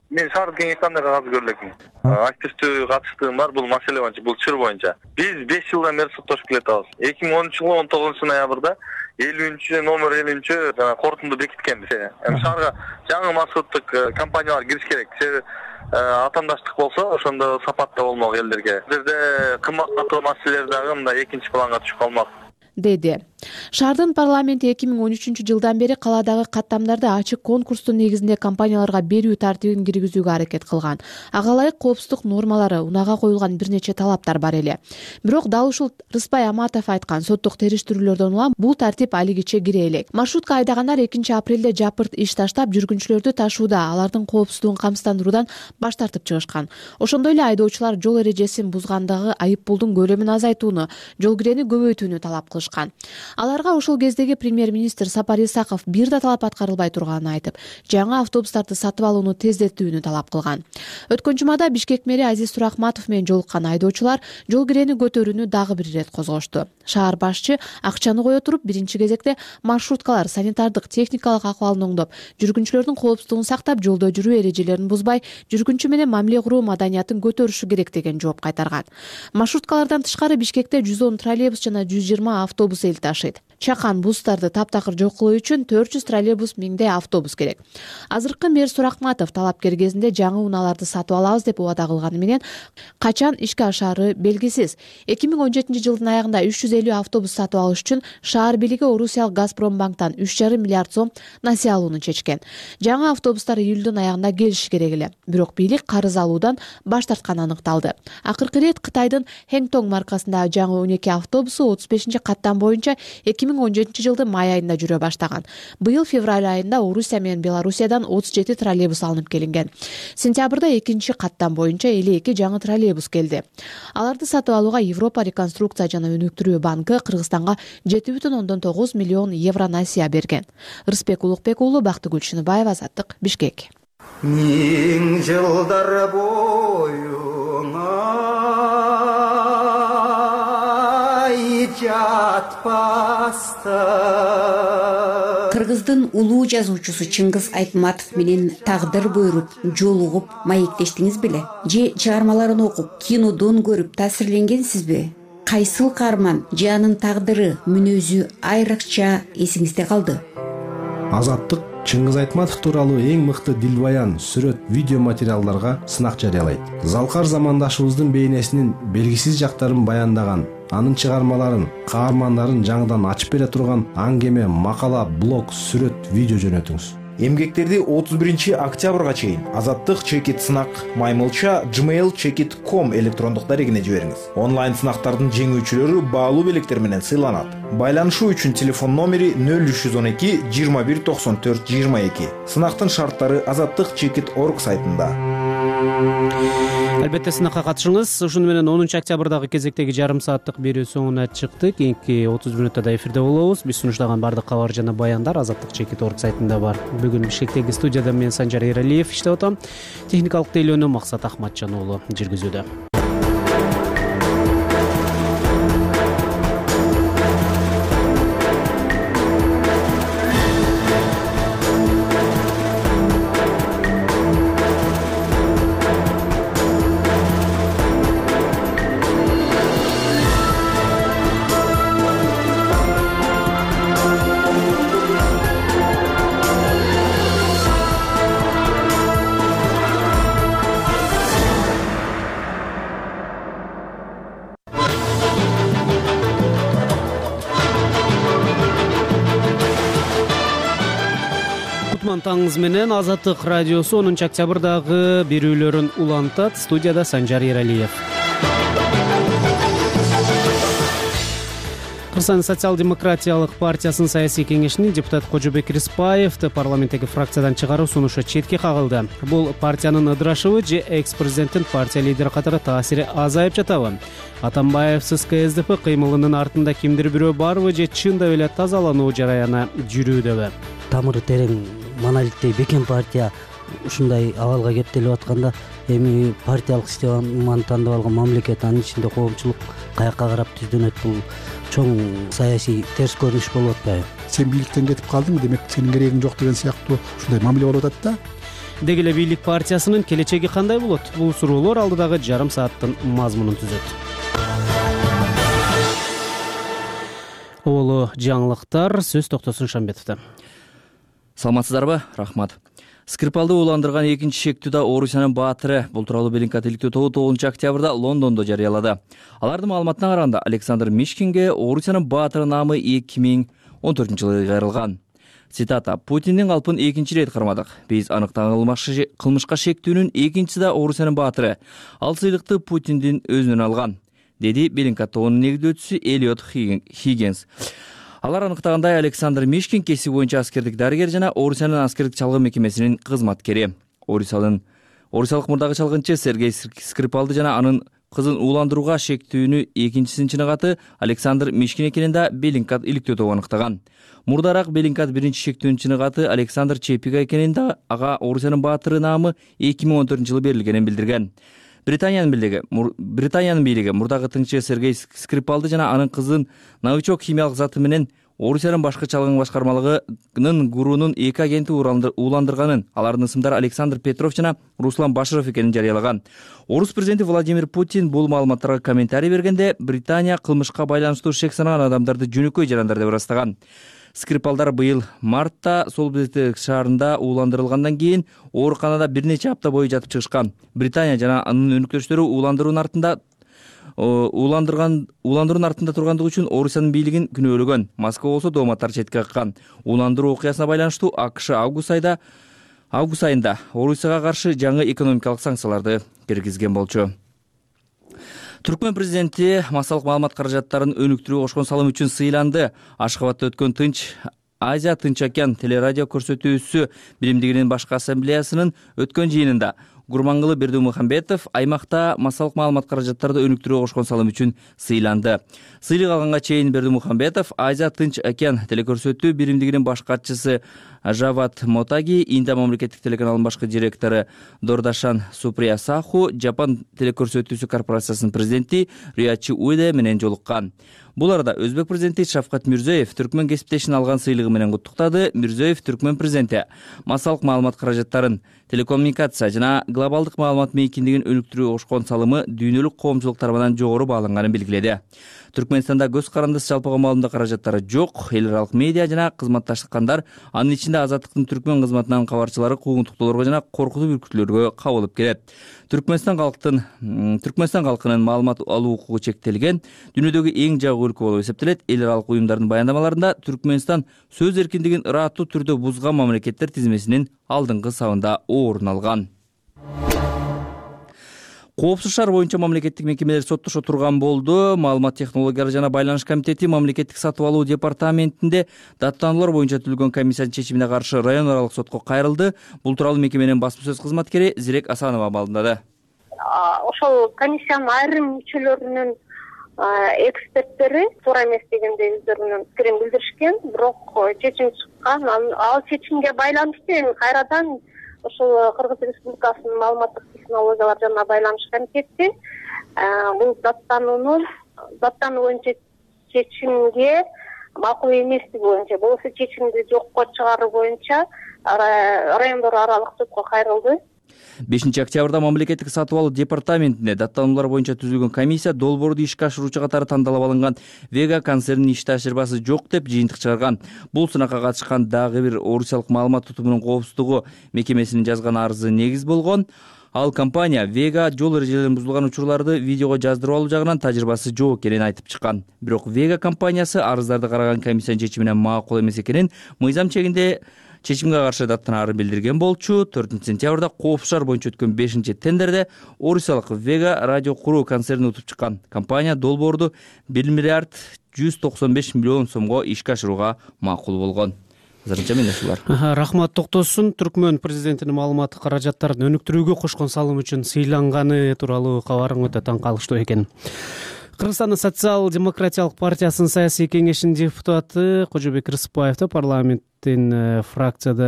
Speaker 16: мен шаардык кеңеште андай кагаз көрө элекмин. Активдүү катыштыгым бар бул маселе боюнча, бул чыр боюнча. Биз 5 жылдан бери соттошуп келатабыз. 2013-жылы 19-ноябрда 50 номер 50 жана корутунду бекиткенбиз. Эми шаарга жаңы маршруттук компаниялар кириш керек. Атаандаштык болсо, ошондо сапатта болмок элдерге. Бул жерде кымбаттатуу маселелер дагы мындай экинчи планга түшүп калмак,
Speaker 13: деди. Шаардын парламенти 2013-жылдан бери каладагы каттамдарды ачык конкурстун негизинде компанияларга берүү тартибин киргизүүгө аракет кылган. Ага ылайык коопсуздук нормалары, унага коюлган бир нече талаптар бар эле. Бирок дал ушул Рыспай Аматов айткан соттук териштирүүлөрдөн улам бул тартип алигиче кире элек. Маршрутка айдагандар 2-апрелде жапырт иш таштап, жүргүнчүлөрдү ташууда, алардын коопсуздугун камсыздандыруудан баш тартып чыгышкан. Ошондой эле айдоочулар жол эрежесин бузгандагы айып пулдун көлөмүн азайтууну, жол кирени көбөйтүүнү талап кылышкан. Аларга ошол кездеги премьер-министр Сапар Исаков бир да талап аткарылбай турганын айтып, жаңы автобустарды сатып алууну тездетүүнү талап кылган. Өткөн жумада Бишкек мэри Азиз Турахматов менен жолуккан айдоочулар жол кирени көтөрүүнү дагы бир ирет козгошту. Шаар башчы акчаны кое туруп, биринчи кезекте маршруткалар санитардык техникалык акыбалын оңдоп, жүргүнчүлөрдүн коопсуздугун сактап, жолдо жүрүү эрежелерин бузбай, жүргүнчү менен мамиле куруу маданиятын көтөрүшү керек деген жооп кайтарган. Маршруткалардан тышкары Бишкекте 110 троллейбус жана 120 автобус эл ташыйт. Чакан бустарды таптакыр жок кылуу үчүн 400 троллейбус, 1000 автобус керек. Азыркы мэр Суракматов талапкер кезинде жаңы унааларды сатып алабыз деп убада кылганы менен качан ишке ашаары белгисиз. 2017-жылдын аягында 350 автобус сатып алыш үчүн шаар бийлиги Орусиялык Газпромбанктан 3,5 миллиард сом насыя алууну чечкен. Жаңы автобустар июлдун аягында келиши керек эле. Бирок бийлик карыз алуудан баш тартканы аныкталды. Акыркы ирет Кытайдын Хэнтонг маркасындагы жаңы 12 автобусу 35-каттам боюнча 2017-жылдын май айында жүрө баштаган. Быйыл февраль айында Орусия менен Белоруссиядан 37 троллейбус алынып келинген. Сентябрда 2-каттам боюнча 52 жаңы троллейбус келди. Аларды сатып алууга Европа реконструкция жана өнүктүрүү банкы Кыргызстанга 7,9 миллион евро насыя берген. Рыспек Улукбек уулу, Бактыгүл Шыныбаева, Азаттык, Бишкек.
Speaker 17: Миң жылдар боюңа Кыргыздын улуу жазуучусу Чыңгыз Айтматов менен тагдыр буйруп, жолугуп, маектештиңиз беле? Же чыгармаларын окуп, кинодон көрүп таасирленгенсизби? Кайсыл каарман же анын тагдыры, мүнөзү айрыкча эсиңизде калды?
Speaker 18: Азаттык Чыңгыз Айтматов тууралуу эң мыкты дилбаян, сүрөт, видео материалдарга сынак жарыялайт. Залкар замандашыбыздын бейнесинин белгисиз жактарын баяндаган, анын чыгармаларын, каармандарын жаңыдан ачып бере турган аңгеме, макала, блог, сүрөт, видео жөнөтүңүз.
Speaker 19: Эмгектерди 31-октябрга чейин Азаттык чекит сынак маймылча gmail.com электрондук дарегине жибериңиз. Онлайн сынактардын жеңүүчүлөрү баалуу белектер менен сыйланат. Байланышуу үчүн телефон номери 0312 21 94 22. Сынактын шарттары azattikchekit.org сайтында.
Speaker 1: Албетте сынакка катышыңыз. Ушуну менен 10-октябрдагы кезектеги жарым сааттык берүү соңуна чыкты. Кийинки 30 мүнөттө эфирде болобуз. Биз сунуштаган бардык кабар жана баяндар azattikchekit.org сайтында бар. Бүгүн Бишкектеги студияда мен Санжар Эралиев иштеп атам. Техникалык тейлөөнү Максат Ахматжан уулу жүргүзүүдө. улантаңыз менен Азаттык радиосу 10 октябрдагы берүүлөрүн улантат. Студияда Санжар Ералиев. Кыргызстан социал-демократиялык партиясынын саясий кеңешинин депутат Кожобек Риспаевди парламенттеги фракциядан чыгаруу сунушу четке кагылды. Бул партиянын ыдырашыбы же экс-президенттин партия лидери катары таасири азайып жатабы? Атамбаевсиз КСДП кыймылынын артында кимдир бирөө барбы же чындап эле тазалануу жараяны жүрүүдөбү?
Speaker 20: Тамыры терең монолиттей бекем партия ушундай абалга кептелип атканда эми партиялык системаны тандап алган мамлекет, анын ичинде коомчулук каякка карап түздөнөт? Бул чоң саясий терс көрүнүш болуп атпайбы?
Speaker 21: Сен бийликтен кетип калдың, демек сенин керегиң жок деген сыяктуу ушундай мамиле болуп атат да.
Speaker 1: Деги эле бийлик партиясынын келечеги кандай болот? Бул суроолор алдыдагы жарым сааттын мазмунун түзөт. Олу жаңылыктар, сөз Токтосун Шамбетовдо.
Speaker 4: Саламатсыздарбы? Рахмат. Скрипалды уландырган экинчи шектүүдө Орусиянын баатыры. Бул тууралуу Беллингкат иликтөө тобу 9 октябрда Лондондо жарыялады. Алардын маалыматына караганда Александр Мишкинге Орусиянын баатыры наамы 2014-жылы кайрылган. Цитата: "Путиндин калпын экинчи ирет кармадык. Биз аныктаган кылмышка шектүүнүн экинчиси да Орусиянын баатыры. Ал сыйлыкты Путиндин өзүнөн алган", деди Беллингкат тобунун негиздөөчүсү Элиот Хиггинс. Алар аныктагандай, Александр Мишкин кесип боюнча аскердик дарыгер жана Орусиянын аскердик чалгын мекемесинин кызматкери. Орусиялык мурдагы чалгынчы Сергей Скрипалды жана анын кызын ууландырууга шектүүнү экинчисинин чыныгаты Александр Мишкин экенин да Беллингкат иликтөө тобу аныктаган. Мурдараак Беллингкат биринчи шектүүнүн чыныгаты Александр Чепига экенин да ага Орусиянын баатыры наамы 2014-жылы берилгенин билдирген. Британиянын бийлиги мурдагы тыңчы Сергей Скрипалды жана анын кызын новичок химиялык заты менен Орусиянын башкы чалгын башкармалыгынын гурунун 2 агенти ууландырганын, алардын ысымдары Александр Петров жана Руслан Баширов экенин жарыялаган. Орус президенти Владимир Путин бул маалыматтарга комментарий бергенде Британия кылмышка байланыштуу шек санаган адамдарды жөнөкөй жарандар деп ырастаган. Скрипалдар быйыл мартта Солбезек шаарында ууландырылгандан кийин ооруканада бир нече апта бою жатып чыгышкан. Британия жана анын өнөктөштөрү ууландыруунун артында тургандыгы үчүн Орусиянын бийлигин күнөөлөгөн. Москва болсо дооматтар четке каккан. Ууландыруу окуясына байланыштуу АКШ август айында Орусияга каршы жаңы экономикалык санкцияларды киргизген болчу. Түркмөн президенти массалык маалымат каражаттарын өнүктүрүүгө кошкон салым үчүн сыйланды. Ашхабадда өткөн Азия Тынч океан телерадио көрсөтүүсү биримдигинин башкы ассамблеясынын өткөн жыйынында Гурмангулы Бердимухамбетов аймакта массалык маалымат каражаттарды өнүктүрүүгө кошкон салым үчүн сыйланды. Сыйлык алганга чейин Бердимухамбетов Азия Тынч океан телекөрсөтүү биримдигинин баш катчысы Жават Мотаги, Индия мамлекеттик телеканалынын башкы директору Дордашан Суприя Саху, Жапан телекөрсөтүүсү корпорациясынын президенти Риячи Уиде менен жолуккан. Бул арада Өзбек президенти Шавкат Мирзиёев Түркмөн кесиптешин алган сыйлыгы менен куттуктады. Мирзиёев Түркмөн президенти массалык маалымат каражаттарын, телекоммуникация жана глобалдык маалымат мейкиндигин өнүктүрүүгө кошкон салымы дүйнөлүк коомчулук тарабынан жогору бааланганын белгиледи. Түркмөнстанда көз карандысыз жалпыга маалымдоо каражаттары жок. Эл аралык медиа жана кызматташкандар, анын ичинде Азаттыктын Түркмөн кызматынын кабарчылары куугунтуктоолорго жана коркутуу бүркүтүүлөргө кабылып келет. Түркмөнстан калкынын маалымат алуу укугу чектелген, дүйнөдөгү эң жагуу өлкө болуп эсептелет. Эл аралык уюмдардын баяндамаларында Түркмөнстан сөз эркиндигин ыраттуу түрдө бузган мамлекеттер тизмесинин алдыңкы сабында орун алган. Коопсуз шаар боюнча мамлекеттик мекемелер соттошо турган болду. Маалымат технологиялары жана байланыш комитети мамлекеттик сатып алуу департаментинде даттануулар боюнча түзүлгөн комиссиянын чечимине каршы район аралык сотко кайрылды. Бул тууралуу мекеменин басма сөз кызматкери Зирек Асанова маалымдады.
Speaker 22: Ошол комиссиянын айрым мүчөлөрүнүн эксперттери туура эмес дегенде өздөрүнүн пикирин билдиришкен, бирок чечим чыккан. Ал чечимге байланыштуу эми кайрадан ошол Кыргыз Республикасынын маалыматтык технологиялар жана байланыш комитети бул даттануу боюнча чечимге макул эместиги боюнча, болбосо чечимди жокко чыгаруу боюнча райондор аралык сотко кайрылды.
Speaker 4: 5 октябрда мамлекеттик сатып алуу департаментинде даттануулар боюнча түзүлгөн комиссия долбоорду ишке ашыруучу катары тандалып алынган Вега концернинин иш тажрыйбасы жок деп жыйынтык чыгарган. Бул сынакка катышкан дагы бир Орусиялык маалымат тутумунун коопсуздугу мекемесинин жазган арызы негиз болгон. Ал компания Вега жол эрежелерин бузулган учурларды видеого жаздырып алуу жагынан тажрыйбасы жок экенин айтып чыккан. Бирок Вега компаниясы арыздарды караган комиссиянын чечимине макул эмес экенин, мыйзам чегинде чечимге каршы даттанаарын билдирген болчу. 4-сентябрда Коопшаар боюнча өткөн 5-тендерде орусиялык Vega радио куруу концерни утуп чыккан. Компания долбоорду 1 миллиард 195 миллион сомго ишке ашырууга макул болгон. Азырынча мен ушулар.
Speaker 1: Рахмат Токтосун. Түркмөн президентинин маалыматтык каражаттарын өнүктүрүүгө кошкон салым үчүн сыйланганы тууралуу кабарың өтө таң калыштуу экен. Кыргызстандын социал-демократиялык партиясынын саясий кеңешинин депутаты Кожобек Рыспаевди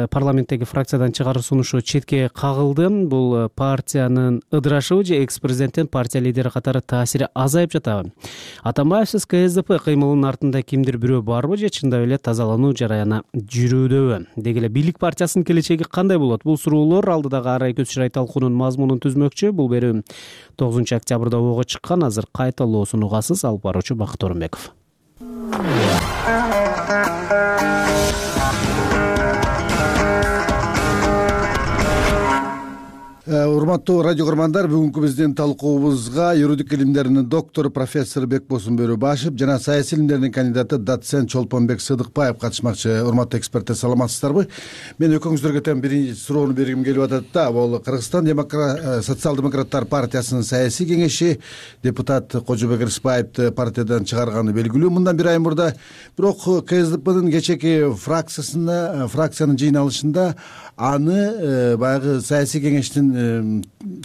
Speaker 1: парламенттеги фракциядан чыгаруу сунушу четке кагылды. Бул партиянын ыдырашыбы же экс-президенттин партия лидери катары таасири азайып жатабы? Атамбаевсиз КСДП кыймылынын артында кимдир бирөө барбы же чындап эле тазалануу жараяны жүрүүдөбү? Деги эле бийлик партиясынын келечеги кандай болот? Бул суроолор алдыдагы арай көз чырай талкуунун мазмунун түзмөкчү. Бул берүү 9-октябрда ого чыккан. Азыр кайталоосун угасыз. Алып баруучу Бакыт Орунбеков.
Speaker 3: Урматтуу радио көрмандар, бүгүнкү биздин талкуубузга юридик илимдеринин доктору профессор Бекбосун Бөрөбашев жана саясий илимдеринин кандидаты доцент Чолпонбек Сыдыкбаев катышмакчы. Урматтуу эксперттер, саламатсыздарбы? Мен экөөңүздөргө тең биринчи суроону бергим келип атат да. Бул Кыргызстан социал-демократтар партиясынын саясий кеңеши депутат Кожобек Рыспаевди партиядан чыгарганы белгилүү мындан бир ай мурда. Бирок КСДПнын кечээки фракциянын жыйналышында аны баягы саясий кеңештин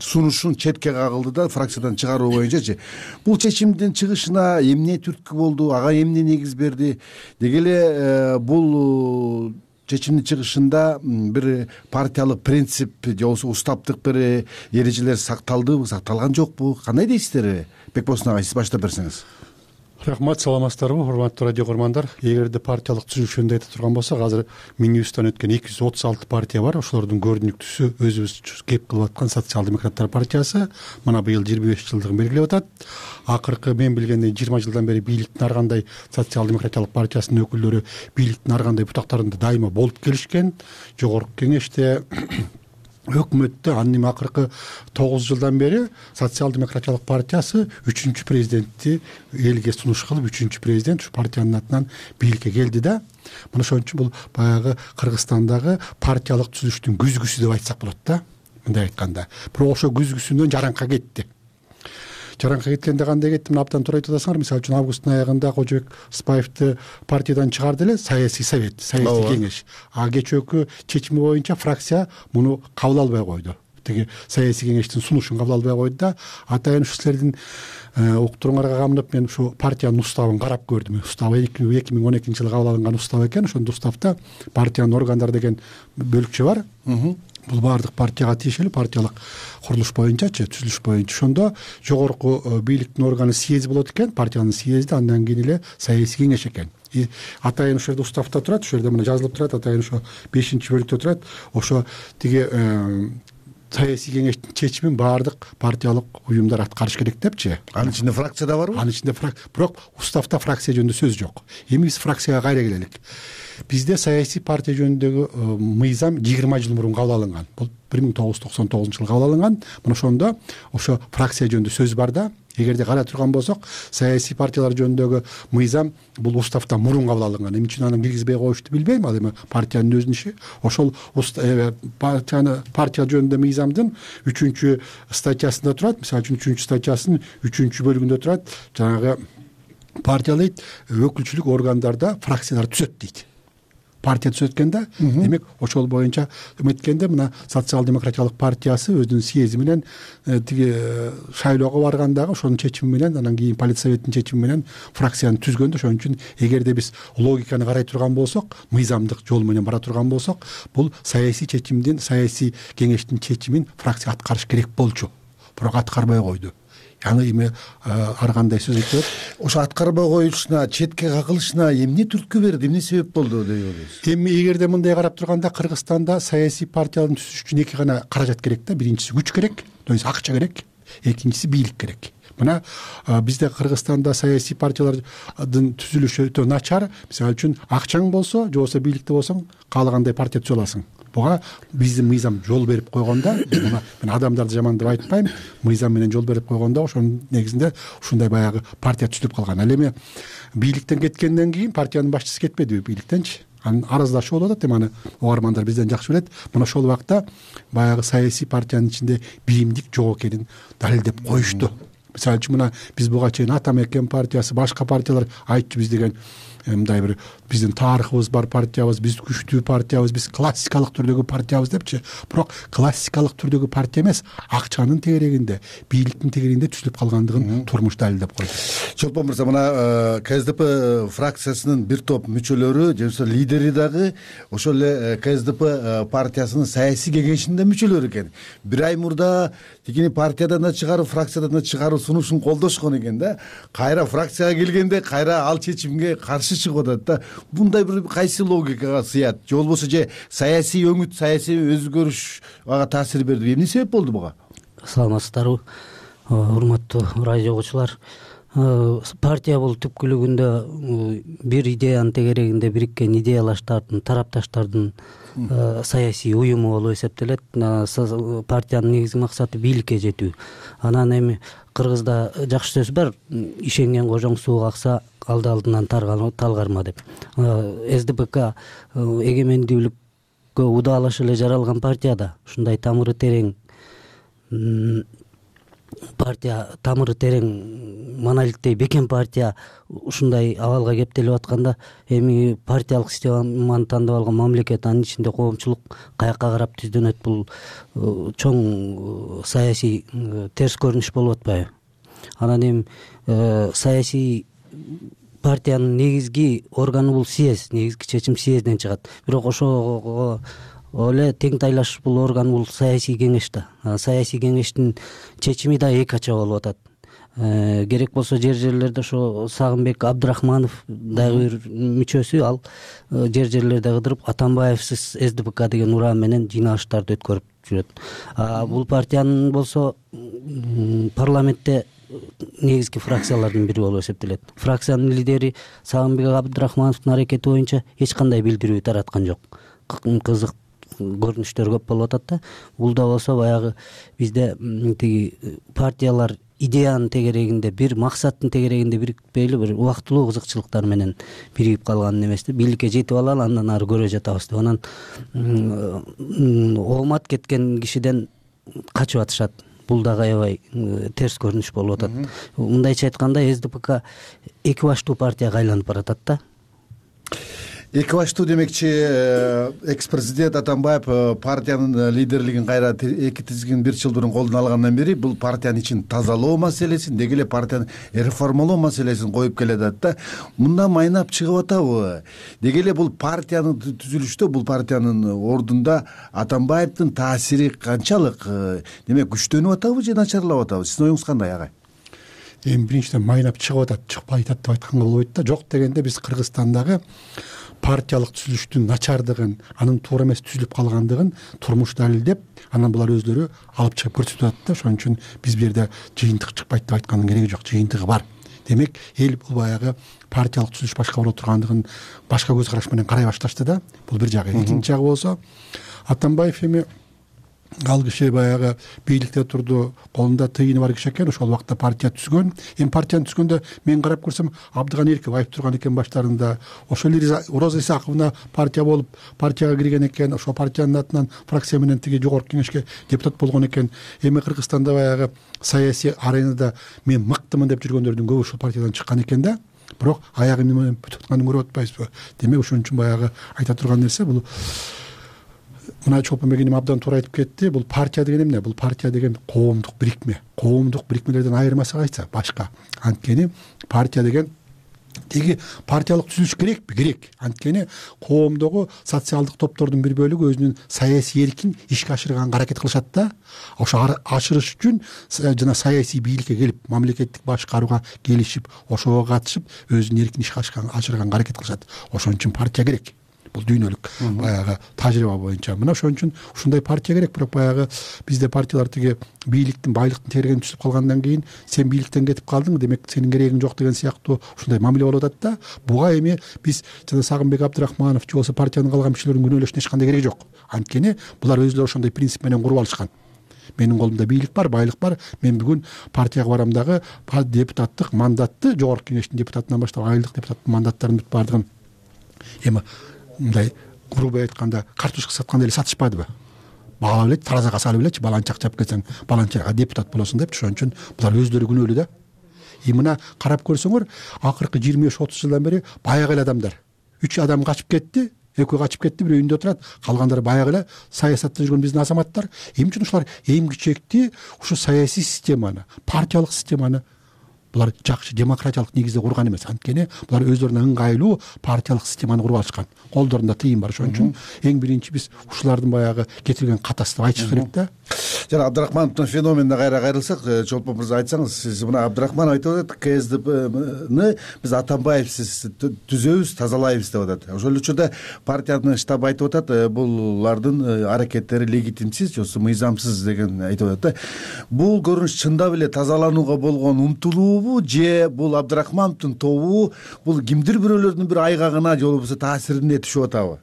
Speaker 3: сунушун четке кагылды да, фракциядан чыгаруу боюнчачы. Бул чечимдин чыгышына эмне түрткү болду, ага эмне негиз берди? Деги эле бул чечимдин чыгышында бир партиялык принцип же болбосо устаптык бир эрежелер сакталдыбы, сакталган жокпу? Кандай дейсиздер? Бекбосун агай, сиз баштап берсеңиз.
Speaker 21: Рахмат, саламатсыздарбы, урматтуу радио көрмандар. Эгерде партиялык түзүлүш жөнүндө айта турган болсок, азыр Минюсттан өткөн 236 партия бар. Ошолордун көрүнүктүүсү өзүбүз кеп кылып аткан социал-демократтар партиясы. Мына быйыл 25 жылдыгын белгилеп атат. Акыркы мен билгендей 20 жылдан бери бийликтин ар кандай социал-демократиялык партиясынын өкүлдөрү бийликтин ар кандай бутактарында дайыма болуп келишкен. Жогорку кеңеште, өкмөттө, анын эми акыркы 9 жылдан бери социал-демократиялык партиясы 3-президентти элге сунуш кылып, 3-президент ушу партиянын атынан бийликке келди да. Мына ошон үчүн бул баягы Кыргызстандагы партиялык түзүлүштүн күзгүсү деп айтсак болот да, мындай айтканда. Бирок ошо күзгүсүнөн жаранка кетти. Жаранка кеткенде кандай кетти? Мына абдан туура айтып атасыңар. Мисалы үчүн августтун аягында Кожобек Рыспаевди партиядан чыгарды эле саясий совет, саясий кеңеш. Кечээкү чечими боюнча фракция муну кабыл албай койду. Тиги саясий кеңештин сунушун кабыл албай койду да. Атайын ушу силердин уктуруңарга камынып мен ушу партиянын уставын карап көрдүм. Устабы 2012 жылы кабыл алынган устав экен. Ошондо уставда партиянын органдары деген бөлүкчө бар. Бул баардык партияга тиешелүү, партиялык курулуш боюнчачы, түзүлүш боюнча. Ошондо жогорку бийликтин органы съезд болот экен, партиянын съезди, андан кийин эле саясий кеңеш экен. Атайын ошол жерде уставда турат, ошол жерде мына жазылып турат, атайын ошо 5-бөлүктө турат. Ошо тиги саясий кеңештин чечимин баардык партиялык уюмдар аткарыш керек депчи.
Speaker 3: Анын ичинде фракция да барбы?
Speaker 21: Анын ичинде бирок уставда фракция жөнүндө сөз жок. Эми биз фракцияга кайра келелик. Бизде саясий партия жөнүндөгү мыйзам 20 жыл мурун кабыл алынган. Бул 1999 жылы кабыл алынган. Мына ошондо ошо фракция жөнүндө сөз бар да. Эгерде карай турган болсок, саясий партиялар жөнүндөгү мыйзам бул уставдан мурун кабыл алынган. Эмне үчүн аны киргизбей коюшту билбейм, ал эми партиянын өзүнүн иши. Ошол партия жөнүндө мыйзамдын 3-статьясында турат. Мисалы үчүн 3-статьясынын 3-бөлүгүндө турат. Жанагы партия дейт, өкүлчүлүк органдарда фракциялар түзөт дейт. Партия түзөткөндө, демек ошол боюнча эметкенде мына социал-демократиялык партиясы өзүнүн съезди менен тиги шайлоого баргандагы ошонун чечими менен, анан кийин политсоветтин чечими менен фракцияны түзгөндө. Ошон үчүн эгерде биз логиканы карай турган болсок, мыйзамдык жол менен бара турган болсок, бул саясий чечимдин, саясий кеңештин чечимин фракция аткарыш керек болчу. Бирок аткарбай койду. Аны эми ар кандай сөз айтып?
Speaker 3: Ошо аткарбай коюшуна, четке кагылышына эмне түрткү берди, эмне себеп болду деп ойлойсуз?
Speaker 21: Эми эгерде мындай карап турганда, Кыргызстанда саясий партияларды түзүш үчүн эки гана каражат керек да. Биринчиси күч керек, то есть акча керек. Экинчиси бийлик керек. Мына бизде Кыргызстанда саясий партиялардын түзүлүшү өтө начар. Мисалы үчүн акчаң болсо, же болбосо бийликте болсоң, каалагандай партия түзө аласың. Буга биздин мыйзам жол берип койгондо, мен адамдарды жаман деп айтпайм, мыйзам менен жол берип койгондо ошонун негизинде ушундай баягы партия түзүлүп калган. Ал эми бийликтен кеткенден кийин партиянын башчысы кетпедиби бийликтенчи? анын араздашуу болуп атат. Эми аны угармандар бизден жакшы билет. Мына ошол убакта баягы саясий партиянын ичинде биримдик жок экенин далилдеп коюшту. Мисалы үчүн мына биз буга чейин Ата Мекен партиясы, башка партиялар айтчу биз деген мындай бир биздин тарыхыбыз бар партиябыз, биз күчтүү партиябыз, биз классикалык түрдөгү партиябыз депчи. Бирок классикалык түрдөгү партия эмес, акчанын тегерегинде, бийликтин тегерегинде түзүлүп калгандыгын турмуш далилдеп койду.
Speaker 3: Чолпон мырза, мына КСДП фракциясынын бир топ мүчөлөрү, же болбосо лидери дагы ошол эле КСДП партиясынын саясий кеңешинин мүчөлөрү экен. Бир ай мурда тигини партиядан да чыгарып, фракциядан да чыгаруу сунушун колдошкон экен да. Кайра фракцияга келгенде кайра ал чечимге каршы чыгып атат да. Мындай бир кайсы логикага сыят? Же болбосо же саясий өңүт, саясий өзгөрүш ага таасир берди? Эмне себеп болду буга?
Speaker 20: Саламатсыздарбы, урматтуу радио угуучулар. Партия бул түпкүлүгүндө бир идеянын тегерегинде бириккен идеялаштардын, тарапташтардын саясий уюму болуп эсептелет. Партиянын негизги максаты бийликке жетүү. Анан эми Кыргызда жакшы сөз бар, ишенген кожоң сууга акса алды алдынан талгарма деп. СДПК эгемендүүлүккө удаалаша эле жаралган партияда ушундай тамыры терең партия, тамыры терең монолиттей бекен партия ушундай абалга кептелип атканда, эми партиялык системаны тандап алган мамлекет, анын ичинде коомчулук каякка карап түздөнөт, бул чоң саясий терс көрүнүш болуп атпайбы? Анан эми саясий партиянын негизги органы бул съезд, негизги чечим съездден чыгат. Бирок ошого эле тең тайлаш бул орган бул саясий кеңеш да. Саясий кеңештин чечими да эки ача болуп атат. Керек болсо жерлерде ошо Сагынбек Абдрахманов дагы бир мүчөсү, ал жерлерде кыдырып Атамбаевсиз СДПК деген уран менен жыйналыштарды өткөрүп жүрөт. Бул партиянын болсо парламентте негизги фракциялардын бири болуп эсептелет. Фракциянын лидери Сагынбек Абдрахмановдун аракети боюнча эч кандай билдирүү тараткан жок. Кызык көрүнүштөр көп болуп атат да. Бул да болсо баягы бизде тиги партиялар идеянын тегерегинде, бир максаттын тегерегинде бирикпейли, бир убактылуу кызыкчылыктар менен биригип калган эмес да. Бийликке жетип алалы, андан ары көрө жатабыз деп. Анан оомат кеткен кишиден качып атышат. Бул дагы аябай терс көрүнүш болуп атат. Мындайча айтканда, СДПК эки баштуу партияга айланып баратат да.
Speaker 3: Эки баштуу демекчи, экс-президент Атамбаев партиянын лидерлигин кайра эки тизгин бир жылдын колуна алгандан бери бул партиянын ичин тазалоо маселесин, деги эле партияны реформалоо маселесин коюп келатат да. Мындан майнап чыгып атабы? Деги эле бул партиянын түзүлүштө, бул партиянын ордунда Атамбаевдин таасири канчалык? Демек, күчтөнүп атабы же начарлап атабы? Сиздин оюңуз кандай, агай?
Speaker 21: Эми биринчиден майнап чыгып атат, чыкпай атат деп айтканга болбойт да. Жок дегенде биз Кыргызстандагы партиялык түзүлүштүн начардыгын, анын туура эмес түзүлүп калгандыгын турмуш далилдеп, анан булар өзлөрү алып чыгып көрсөтүп атат да. Ошон үчүн биз бул жерде жыйынтык чыкпайт деп айткандын кереги жок, жыйынтыгы бар. Демек, эл бул баягы партиялык түзүлүш башка боло тургандыгын башка көз караш менен карай башташты да. Бул бир жагы. Экинчи жагы болсо, Атамбаев эми ал киши баягы бийликте турду, колунда тыйыны бар киши экен, ошол убакта партия түзгөн. Эми партияны түзгөндө мен карап көрсөм, Абдыганерков айып турган экен баштарында. Ошол Роза Исаковна партия болуп, партияга кирген экен, ошол партиянын атынан фракция менен тиги жогорку кеңешке депутат болгон экен. Эми Кыргызстанда баягы саясий аренада мен мыктымын деп жүргөндөрдүн көбү ушул партиядан чыккан экен да. Бирок аягы эмне менен бүтүп атканын көрүп атпайбызбы? Демек, ошон үчүн баягы айта турган нерсе бул. Мына Чолпонбек энем абдан туура айтып кетти. Бул партия деген эмне? Бул партия деген коомдук бирикме. Коомдук бирикмелерден айырмасы кайсы? Башка. Анткени партия деген теги партиялык түзүлүш керекпи? Керек. Анткени коомдогу социалдык топтордун бир бөлүгү өзүнүн саясий эркин ишке ашырганга аракет кылышат да. Ошо ашырыш үчүн жана саясий бийликке келип, мамлекеттик башкарууга келишип, ошого катышып, өзүнүн эркин ишке ашырганга аракет кылышат. Ошон үчүн партия керек. Бул дүйнөлүк баягы тажрыйба боюнча. Мына ошон үчүн ушундай партия керек. Бирок баягы бизде партиялар тиги бийликтин, байлыктын тегерегин түзүп калгандан кийин сен бийликтен кетип калдың, демек сенин керегиң жок деген сыяктуу ушундай мамиле болуп атат да. Буга эми биз жана Сагынбек Абдрахманов же болбосо партиянын калган мүчөлөрүнүн күнөөлөшүнүн эч кандай кереги жок. Анткени булар өзүлөрү ошондой принцип менен куруп алышкан. Менин колумда бийлик бар, байлык бар. Мен бүгүн партияга барам дагы депутаттык мандатты, жогорку кеңештин депутатынан баштап айлык депутаттын мандаттарын бүт бардыгын эми мындай грубо айтканда картошка сатканда эле сатышпадыбы? Баалап эле таразага салып элечи, баланча акча алып келсең баланчага депутат болосуң депчи. Ошон үчүн булар өздөрү күнөөлүү да. Мына карап көрсөңөр, акыркы 25-30 жылдан бери баягы эле адамдар. 3 адам качып кетти, 2 качып кетти, бирөө үйүндө отурат, калгандары баягы эле саясатта жүргөн биздин азаматтар. Эмне үчүн ушулар эң кичекти ушу саясий системаны, партиялык системаны булар жакшы демократиялык негизде курган эмес. Анткени булар өздөрүнө ыңгайлуу партиялык системаны куруп алышкан. Колдорунда тыйым бар. Ошон үчүн эң биринчи биз ушулардын баягы кетирген катасы деп айтыш керек да.
Speaker 3: Жана Абдрахмановдун феноменине кайра кайрылсак, Чолпон мырза айтсаңыз, сиз мына Абдрахманов айтып атат, КСДПны биз Атамбаевсиз түзөбүз, тазалайбыз деп атат. Ошол учурда партиянын штабы айтып атат, булардын аракеттери легитимсиз, жосу мыйзамсыз деген айтып атат да. Бул көрүнүш чындап эле тазаланууга болгон умтулуубу же бул Абдрахмановдун тобу бул кимдир бирөөлөрдүн бир айгагына же болбосо таасирине түшүп атабы?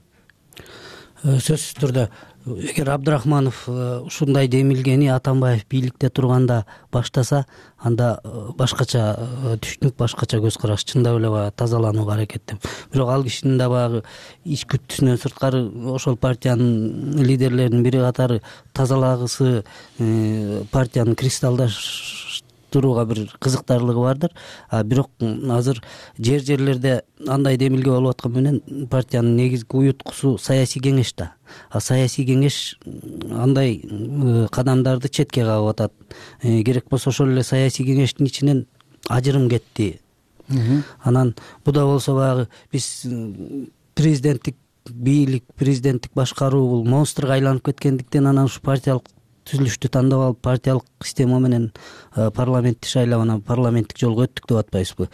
Speaker 20: Сөзсүз түрдө эгер Абдрахманов ушундай демилгени Атамбаев бийликте турганда баштаса, анда башкача түшүнүк, башкача көз караш, чындап эле баягы тазаланууга аракеттем. Бирок ал кишинин да баягы ич күттүсүнөн сырткары ошол партиянын лидерлеринин бири катары тазалагысы, партияны кристалдаштырууга бир кызыктарлыгы бардыр. Бирок азыр жерлерде андай демилге болуп аткан менен партиянын негизги уюткусу саясий кеңеш да. Саясий кеңеш андай кадамдарды четке кагып атат. Керек болсо ошол эле саясий кеңештин ичинен ажырым кетти. Анан буда болсо баягы биз президенттик бийлик, президенттик башкаруу бул монстрга айланып кеткендиктен анан ушу партиялык түзүлүштү тандап алып, партиялык система менен парламентти шайлап, анан парламенттик жолго өттүк деп атпайбызбы?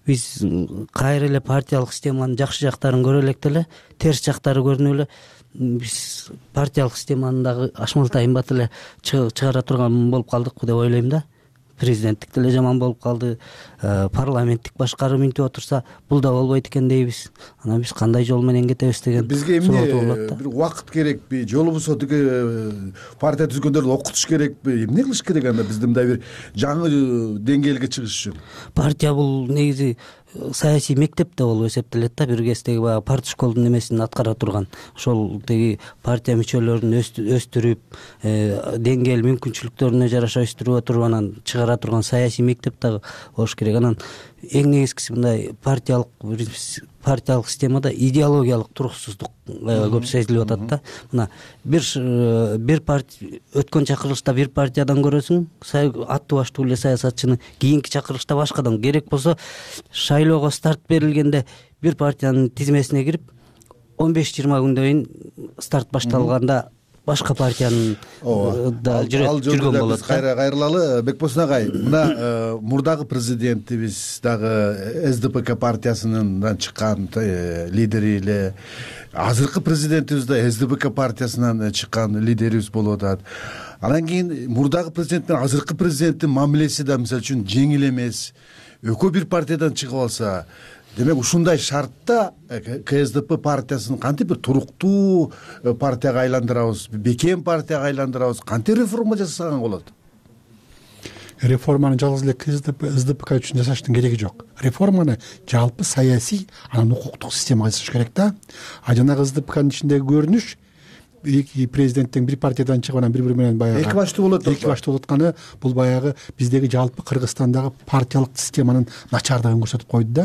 Speaker 20: Биз кайра эле партиялык системанын жакшы жактарын көрө элек деле, терс жактары көрүнүп эле биз партиялык системаны дагы ашмалтайын бат эле чыгара турган болуп калдыкпы деп ойлойм да. Президенттик деле жаман болуп калды, парламенттик башкаруу минтип отурса, бул да болбойт экен дейбиз. Анан биз кандай жол менен кетебиз деген
Speaker 3: бизге эмне бир убакыт керекпи, же болбосо тиги партия түзгөндөрдү окутуш керекпи, эмне кылыш керек анда биз мындай бир жаңы деңгээлге чыгыш үчүн?
Speaker 20: Партия бул негизи саясий мектеп да болуп эсептелет да, бир кездеги баягы партшколдун эмесин аткара турган. Ошол тиги партия мүчөлөрүн өстүрүп, деңгээл мүмкүнчүлүктөрүнө жараша өстүрүп отуруп анан чыгара турган саясий мектеп дагы болуш керек. Анан эң негизгиси мындай партиялык системада идеологиялык туруксуздук көп сезилип атат да. Мына бир партия өткөн чакырылышта бир партиядан көрөсүң, аттуу баштуу эле саясатчыны, кийинки чакырылышта башкадан. Керек болсо шайлоого старт берилгенде бир партиянын тизмесине кирип 15-20 күндөн кийин старт башталганда башка партиянын да жүргөн болот.
Speaker 3: Кайра кайрылалы, Бекбосын агай, мына мурдагы президентибиз дагы СДПК партиясынан чыккан лидери эле, азыркы президентибиз да СДПК партиясынан чыккан лидерибиз болуп атат. Анан кийин мурдагы президент менен азыркы президенттин мамилеси да мисалы үчүн жеңил эмес. Экөө бир партиядан чыгып алса, демек ушундай шартта КСДП партиясын кантип бир туруктуу партияга айландырабыз, бекем партияга айландырабыз, кантип реформа жасаган болот?
Speaker 21: Реформаны жалгыз эле СДПК үчүн жасаштын кереги жок. Реформаны жалпы саясий, анан укуктук системага жасаш керек да. Жанагы СДПКнын ичиндеги көрүнүш эки президенттен бир партиядан чыгып анан бири-бири менен баягы
Speaker 3: эки баштуу болот.
Speaker 21: Эки баштуу болуп атканы бул баягы биздеги жалпы Кыргызстандагы партиялык системанын начардыгын көрсөтүп койду да.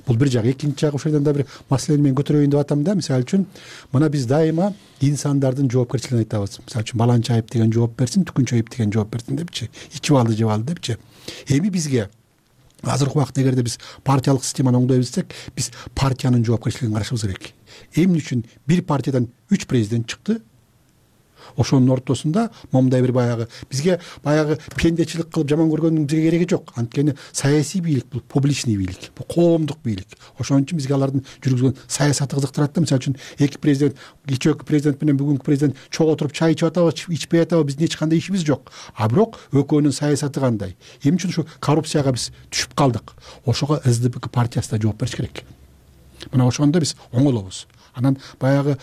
Speaker 21: Бул бир жак. Экинчи жагы ошол жерден да бир маселени мен көтөрөйүн деп атам да. Мисалы үчүн мына биз дайыма инсандардын жоопкерчилигин айтабыз. Мисалы үчүн баланча айып деген жооп берсин, түкүнчө айып деген жооп берсин депчи. Ичип алды, жеп алды депчи. Эми бизге азыркы убакытта эгерде биз партиялык системаны оңдой билсек, биз партиянын жоопкерчилигин карашыбыз керек. Эмне үчүн бир партиядан 3 президент чыкты? Ошонун ортосунда момундай бир баягы бизге баягы пендечилик кылып жаман көргөндүн бизге кереги жок. Анткени саясий бийлик бул публичный бийлик, бул коомдук бийлик. Ошон үчүн бизге алардын жүргүзгөн саясаты кызыктырат да. Мисалы үчүн эки президент, кечээки президент менен бүгүнкү президент чогуу отуруп чай ичип атабы, ичпей атабы, биздин эч кандай ишибиз жок. Бирок экөөнүн саясаты кандай? Эмне үчүн ушу коррупцияга биз түшүп калдык? Ошого СДПК партиясы да жооп бериш керек. Мына ошондо биз оңолобуз. Анан баягы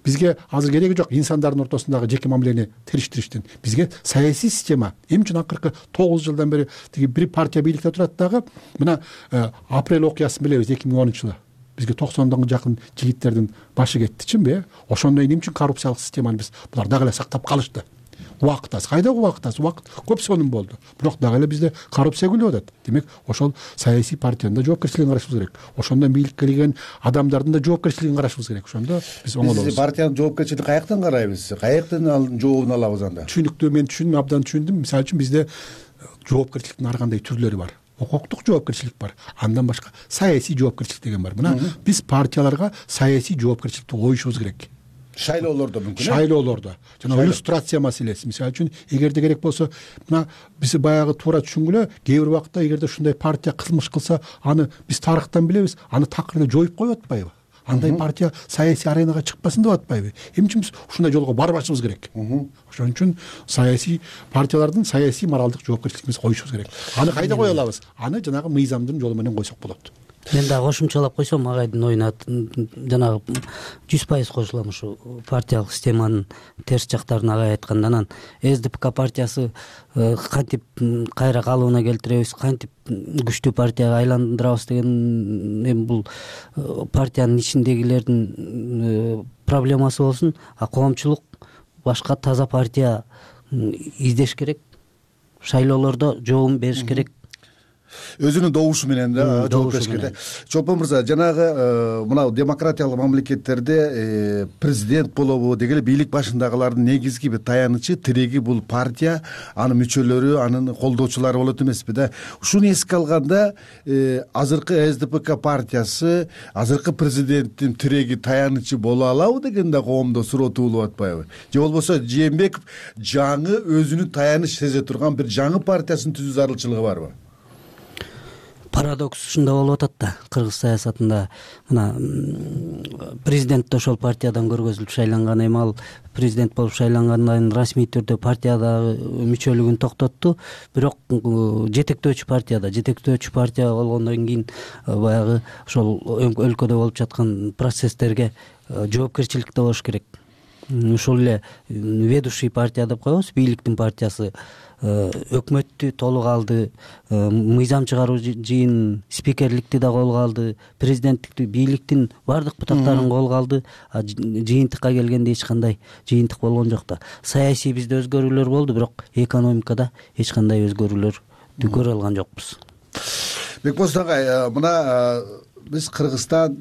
Speaker 21: бизге азыр кереги жок инсандардын ортосундагы жеке мамилени териштириштин. Бизге саясий система. Эмне үчүн акыркы 9 жылдан бери тиги бир партия бийликте турат дагы. Мына апрель окуясын билебиз, 2010-жылы. бизге 90 жакын жигиттердин башы кетти, чынбы? Ошондо эмне үчүн коррупциялык системаны булар дагы эле сактап калышты? Убакыт аз. Кайдагы убакыт аз? Убакыт көп сонун болду. Бирок дагы эле бизде коррупция күлүп атат. Демек, ошол саясий партиянын да жоопкерчилигин карашыбыз керек. Ошондон бийликке келген адамдардын да жоопкерчилигин карашыбыз керек. Ошондо биз оңолобуз.
Speaker 3: Биз партиянын жоопкерчилигин каяктан карайбыз? Каяктан анын жообун алабыз анда?
Speaker 21: Түшүнүктүү, мен түшүндүм, абдан түшүндүм. Мисалы үчүн бизде жоопкерчиликтин ар кандай түрлөрү бар. Укуктук жоопкерчилик бар. Андан башка саясий жоопкерчилик деген бар. Мына биз партияларга саясий жоопкерчиликти коюшубуз керек.
Speaker 3: Шайлоолордо мүмкүн.
Speaker 21: Шайлоолордо. Жана иллюстрация маселеси. Мисалы үчүн, эгерде керек болсо, мына биз баягы туура түшүнгүлө, кээ бир убакта эгерде ушундай партия кылмыш кылса, аны биз тарыхтан билебиз, аны такырда жоюп коюп атпайбы? Андай партия саясий аренага чыкпасын деп атпайбы? Эмне үчүн биз ушундай жолго барбашыбыз керек? Ошон үчүн саясий партиялардын саясий моралдык жоопкерчилигин коюшубуз керек. Аны кайда кое алабыз? Аны жанагы мыйзамдын жолу менен койсок болот.
Speaker 20: Мен дагы кошумчалап койсом, агайдын оюна жанагы 100% кошулам. Ушу партиялык системанын терс жактарын агай айтканда, анан СДПК партиясы кантип кайра калыбына келтиребиз, кантип күчтүү партияга айландырабыз деген эми бул партиянын ичиндегилердин проблемасы болсун. А коомчулук башка таза партия издеш керек, шайлоолордо жообун бериш керек.
Speaker 3: Өзүнүн добушу менен да жооп бериш керек. Чолпон мырза, жанагы мына демократиялык мамлекеттерде президент болобу деги эле бийлик башындагылардын негизги бир таянычы, тиреги бул партия, анын мүчөлөрү, анын колдоочулары болот эмеспи да? Ушуну эске алганда, азыркы СДПК партиясы азыркы президенттин тиреги, таянычы боло алабы деген да коомдо суроо туулуп атпайбы? Же болбосо Жээнбеков жаңы өзүнүн таяныч сезе турган бир жаңы партиясын түзүү зарылчылыгы барбы?
Speaker 20: Парадокс ушунда болуп атат да, кыргыз саясатында. Мына президент да ошол партиядан көргөзүлүп шайланган, эми ал президент болуп шайлангандан кийин расмий түрдө партиядагы мүчөлүгүн токтотту. Бирок жетектөөчү партия болгондон кийин баягы ошол өлкөдө болуп жаткан процесстерге жоопкерчиликте болуш керек. Ушул эле ведущий партия деп коебуз, бийликтин партиясы өкмөттү толук алды, мыйзам чыгаруу жыйын спикерликти да колго алды, президенттикти, бийликтин баардык бутактарын колго алды. Жыйынтыкка келгенде эч кандай жыйынтык болгон жок да. Саясий бизде өзгөрүүлөр болду, бирок экономикада эч кандай өзгөрүүлөрдү көрө алган жокпуз.
Speaker 3: Бекбосун агай, мына биз Кыргызстан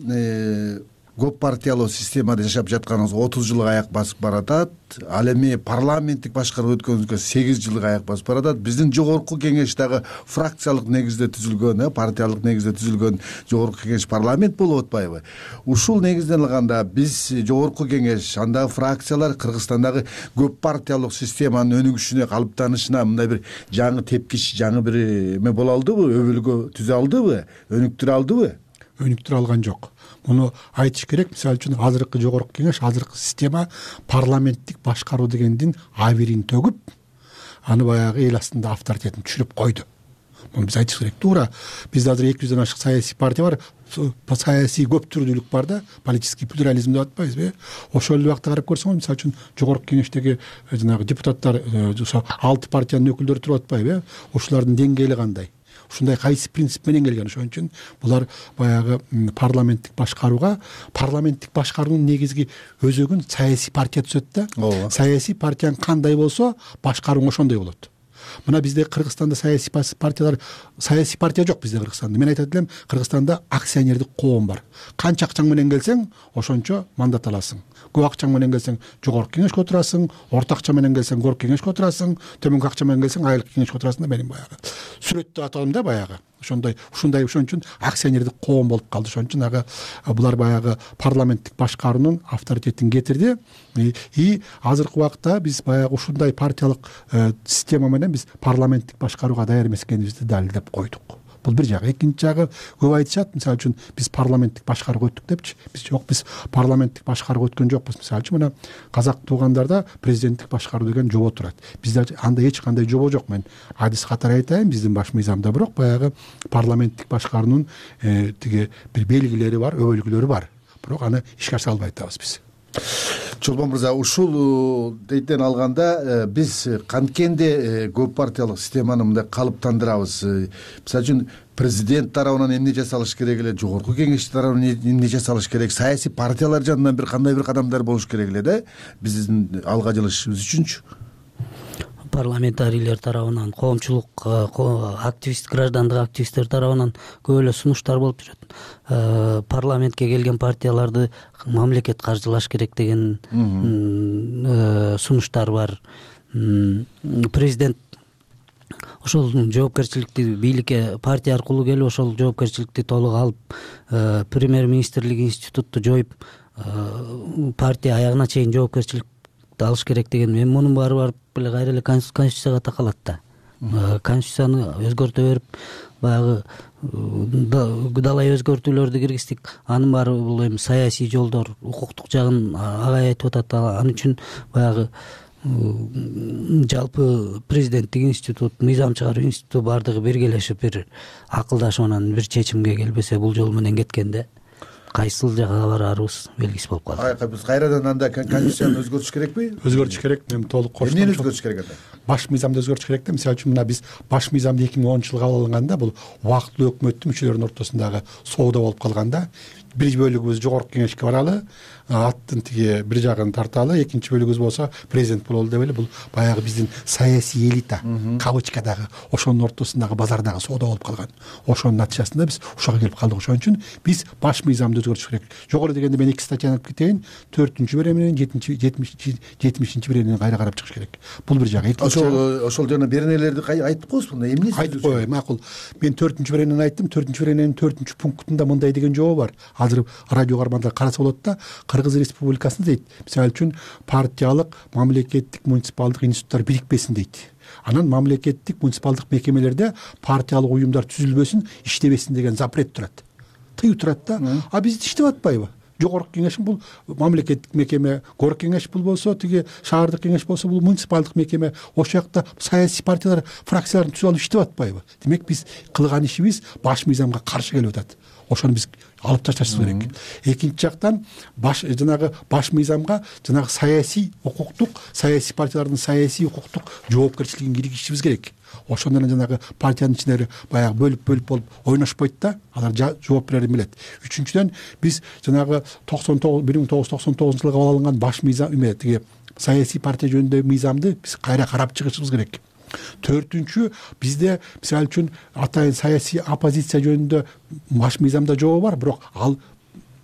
Speaker 3: көп партиялуу системада жашап жатканыбызга 30 жылга аяк басып баратат. Ал эми парламенттик башкаруу өткөнүбүзгө 8 жылга аяк басып баратат. Биздин жогорку кеңеш дагы фракциялык негизде түзүлгөн, партиялык негизде түзүлгөн жогорку кеңеш парламент болуп атпайбы? Ушул негизден алганда биз жогорку кеңеш, андагы фракциялар Кыргызстандагы көп партиялык системанын өнүгүшүнө, калыптанышына мындай бир жаңы тепкич, жаңы бир эме боло алдыбы? Өбөлгө түзө алдыбы? Өнүктүрө алдыбы?
Speaker 21: Өнүктүрө алган жок. Муну айтыш керек. Мисалы үчүн азыркы жогорку кеңеш, азыркы система парламенттик башкаруу дегендин абирин төгүп, аны баягы эл астында авторитетин түшүрүп койду. Муну биз айтыш керек. Туура. Бизде азыр 200дөн ашык саясий партия бар, саясий көп түрдүүлүк бар да, политический плюрализм деп атпайбызбы? Ошол убакта карап көрсөңүз, мисалы үчүн жогорку кеңештеги жанагы депутаттар, ошо 6 партиянын өкүлдөрү туруп атпайбы? Ушулардын деңгээли кандай? Ушундай кайсы принцип менен келген? Ошон үчүн булар баягы парламенттик башкаруунун негизги өзөгүн саясий партия түзөт да. Саясий партияң кандай болсо, башкарууң ошондой болот. Мына бизде Кыргызстанда саясий партия жок бизде Кыргызстанда. Мен айтат элем, Кыргызстанда акционердик коом бар. Канча акчаң менен келсең, ошончо мандат аласың. Көп акчаң менен келсең, жогорку кеңешке отурасың, орто акча менен келсең, горку кеңешке отурасың, төмөнкү акча менен келсең, айылдык кеңешке отурасың да. Менин баягы сүрөттө атадым да баягы. Ошондой ошон үчүн акционердик коом болуп калды. Ошон үчүн булар баягы парламенттик башкаруунун авторитетин кетирди. И азыркы убакта биз баягы ушундай партиялык система менен биз парламенттик башкарууга даяр эмес экенибизди далилдеп койдук. Бул бир жагы. Экинчи жагы, көп айтышат, мисалы үчүн биз парламенттик башкарууга өттүк депчи. Биз жок, биз парламенттик башкарууга өткөн жокпуз. Мисалы үчүн мына казак туугандарда президенттик башкаруу деген жобо турат. Бизде анда эч кандай жобо жок. Мен адис катары айтайын, биздин баш мыйзамда бирок баягы парламенттик башкаруунун тиги бир белгилери бар, өбөлгүлөрү бар. Бирок аны ишке ашыра албай атабыз биз.
Speaker 3: Чолпон мырза, ушул дейден алганда биз канткенде көп партиялык системаны мындай калыптандырабыз. Мисалы үчүн президент тарабынан эмне жасалыш керек эле, жогорку кеңеш тарабынан эмне жасалыш керек, саясий партиялар жанынан кандай бир кадамдар болуш керек эле да биздин алга жылышыбыз үчүнчү.
Speaker 20: Парламентарийлер тарабынан, коомчулук активист, граждандык активисттер тарабынан көп эле сунуштар болуп жүрөт. Парламентке келген партияларды мамлекет каржылаш керек деген сунуштар бар. Президент ошол жоопкерчиликти бийликке партия аркылуу келип, ошол жоопкерчиликти толук алып, премьер-министрлик институтту жоюп, партия аягына чейин жоопкерчилик алыш керек деген. Мен мунун баары барып эле кайра эле конституцияга такалат да. Конституцияны өзгөртө берип, баягы далай өзгөртүүлөрдү киргиздик. Анын баары бул эми саясий жолдор, укуктук жагын агай айтып атат. Ал үчүн баягы жалпы президенттик институт, мыйзам чыгаруу институту баардыгы биргелешип бир акылдашып анан бир чечимге келбесе, бул жол менен кеткенде кайсыл жакка барарыбыз белгисиз болуп калды.
Speaker 3: Биз кайрадан анда конституцияны өзгөртүш керекпи?
Speaker 21: Өзгөртүш керек. Мен толук коштум.
Speaker 3: Эмнени өзгөртүш керек анда?
Speaker 21: Баш мыйзамды өзгөртүш керек да. Мисалы үчүн мына биз баш мыйзамды 2010 жылы кабыл алганда, бул убактылуу өкмөттүн мүчөлөрүнүн ортосундагы соодо болуп калганда, бир бөлүгүбүз жогорку кеңешке баралы, аттын тиги бир жагын тарталы, экинчи бөлүгүбүз болсо президент бололу деп эле, бул баягы биздин саясий элита кавычкадагы ошонун ортосундагы базардагы соодо болуп калган. Ошонун натыйжасында биз ушага келип калдык. Ошон үчүн биз баш мыйзамды өзгөртүш керек. Жогору дегенде мен 2 статьяны алып кетейин. 4-бере менен 70 берени кайра карап чыгыш керек. Бул бир жагы.
Speaker 3: Ошол жана беренелерди айтып коебузбу? Эмне
Speaker 21: айтып коеюн? Макул. Мен 4-беренени айттым. 4-берененин 4-пунктунда мындай деген жообу бар. Азыр радио кармандар караса болот да. Кыргыз Республикасында дейт, мисалы үчүн партиялык, мамлекеттик, муниципалдык институттар бирикпесин дейт. Анан мамлекеттик, муниципалдык мекемелерде партиялык уюмдар түзүлбөсүн, иштебесин деген запрет турат. Тыюу турат да. А бизде иштеп атпайбы? Жогорку кеңеш бул мамлекеттик мекеме, горк кеңеш бул болсо, тиги шаардык кеңеш болсо, бул муниципалдык мекеме. Ошол жакта саясий партиялар фракцияларын түзүп алып иштеп атпайбы? Демек биз кылган ишибиз баш мыйзамга каршы келип атат. Ошону биз алып ташташыбыз керек. Экинчи жактан жанагы баш мыйзамга жанагы саясий укуктук, саясий партиялардын саясий укуктук жоопкерчилигин киргизишибиз керек. Ошондо жанагы партиянын ичинде баягы бөлүп болуп ойношпойт да, алар жооп берерин билет. Үчүнчүдөн биз жанагы 1999 жылы кабыл алынган баш мыйзам тиги саясий партия жөнүндөгү мыйзамды биз кайра карап чыгышыбыз керек. Төртүнчү, бизде мисалы үчүн атайын саясий оппозиция жөнүндө баш мыйзамда жообу бар, бирок ал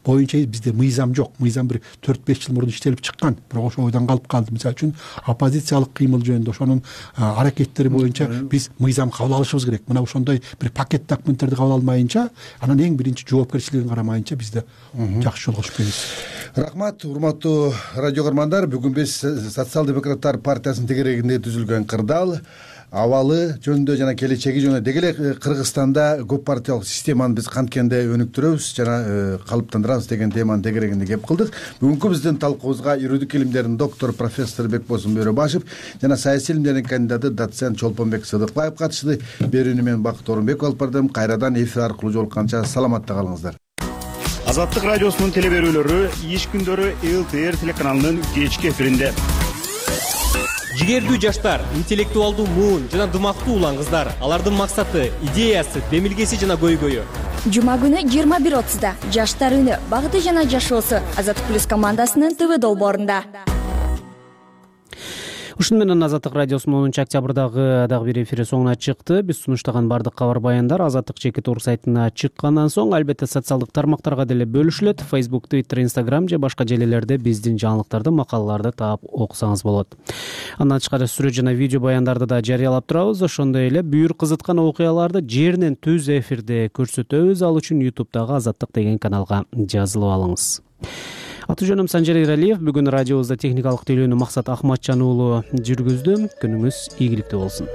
Speaker 21: боюнча бизде мыйзам жок. Мыйзам бир 4-5 жыл мурун иштелип чыккан, бирок ошол ойдон калып калды. Мисалы үчүн оппозициялык кыймыл жөнүндө ошонун аракеттери боюнча биз мыйзам кабыл алышыбыз керек. Мына ошондой бир пакет документтерди кабыл алмайынча, анан эң биринчи жоопкерчилигин карамайынча бизде жакшы жолго чыгып кетебиз.
Speaker 3: Рахмат, урматтуу радио көрмандар. Бүгүн биз Социал-демократтар партиясынын тегерегинде түзүлгөн кырдаал абалы жөнүндө жана келечеги жөнүндө деги эле Кыргызстанда көп партиялык системаны биз канткенде өнүктүрөбүз жана калыптандырабыз деген теманын тегерегинде кеп кылдык. Бүгүнкү биздин талкуубузга юридик илимдердин доктор профессор Бекбосун Бөрөбашев жана саясий илимдердин кандидаты доцент Чолпонбек Сыдыкбаев катышты. Берүүнү мен Бакыт Орунбеков алып бардым. Кайрадан эфир аркылуу жолукканча саламатта калыңыздар.
Speaker 6: Азаттык радиосунун телеберүүлөрү иш күндөрү ЛТР телеканалынын кечки эфиринде.
Speaker 7: Жигердүү жаштар, интеллектуалдуу муун жана дымактуу улан кыздар. Алардын максаты, идеясы, демилгеси жана көйгөйү.
Speaker 23: Жума күнү 21:30да Жаштар үнү, багыты жана жашоосу Азаттык плюс командасынын ТВ долбоорунда.
Speaker 1: Ушуну менен Азаттык радиосунун 10-октябрдагы дагы бир эфири соңуна чыкты. Биз сунуштаган бардык кабар баяндар Азаттык чекит орг сайтына чыккандан соң албетте социалдык тармактарга деле бөлүшүлөт. Facebook, Twitter, Instagram же башка желелерде биздин жаңылыктарды, макалаларды таап окусаңыз болот. Андан тышкары сүрөт жана видео баяндарды да жарыялап турабыз. Ошондой эле бүйүр кызыткан окуяларды жеринен түз эфирде көрсөтөбүз. Ал үчүн YouTube'дагы Азаттык деген каналга жазылып алыңыз. Аты жөнүм Санжар Иралиев. Бүгүн радиобузда техникалык тейлөөнү Максат Ахматжан уулу жүргүздү. Күнүңүз ийгиликтүү болсун.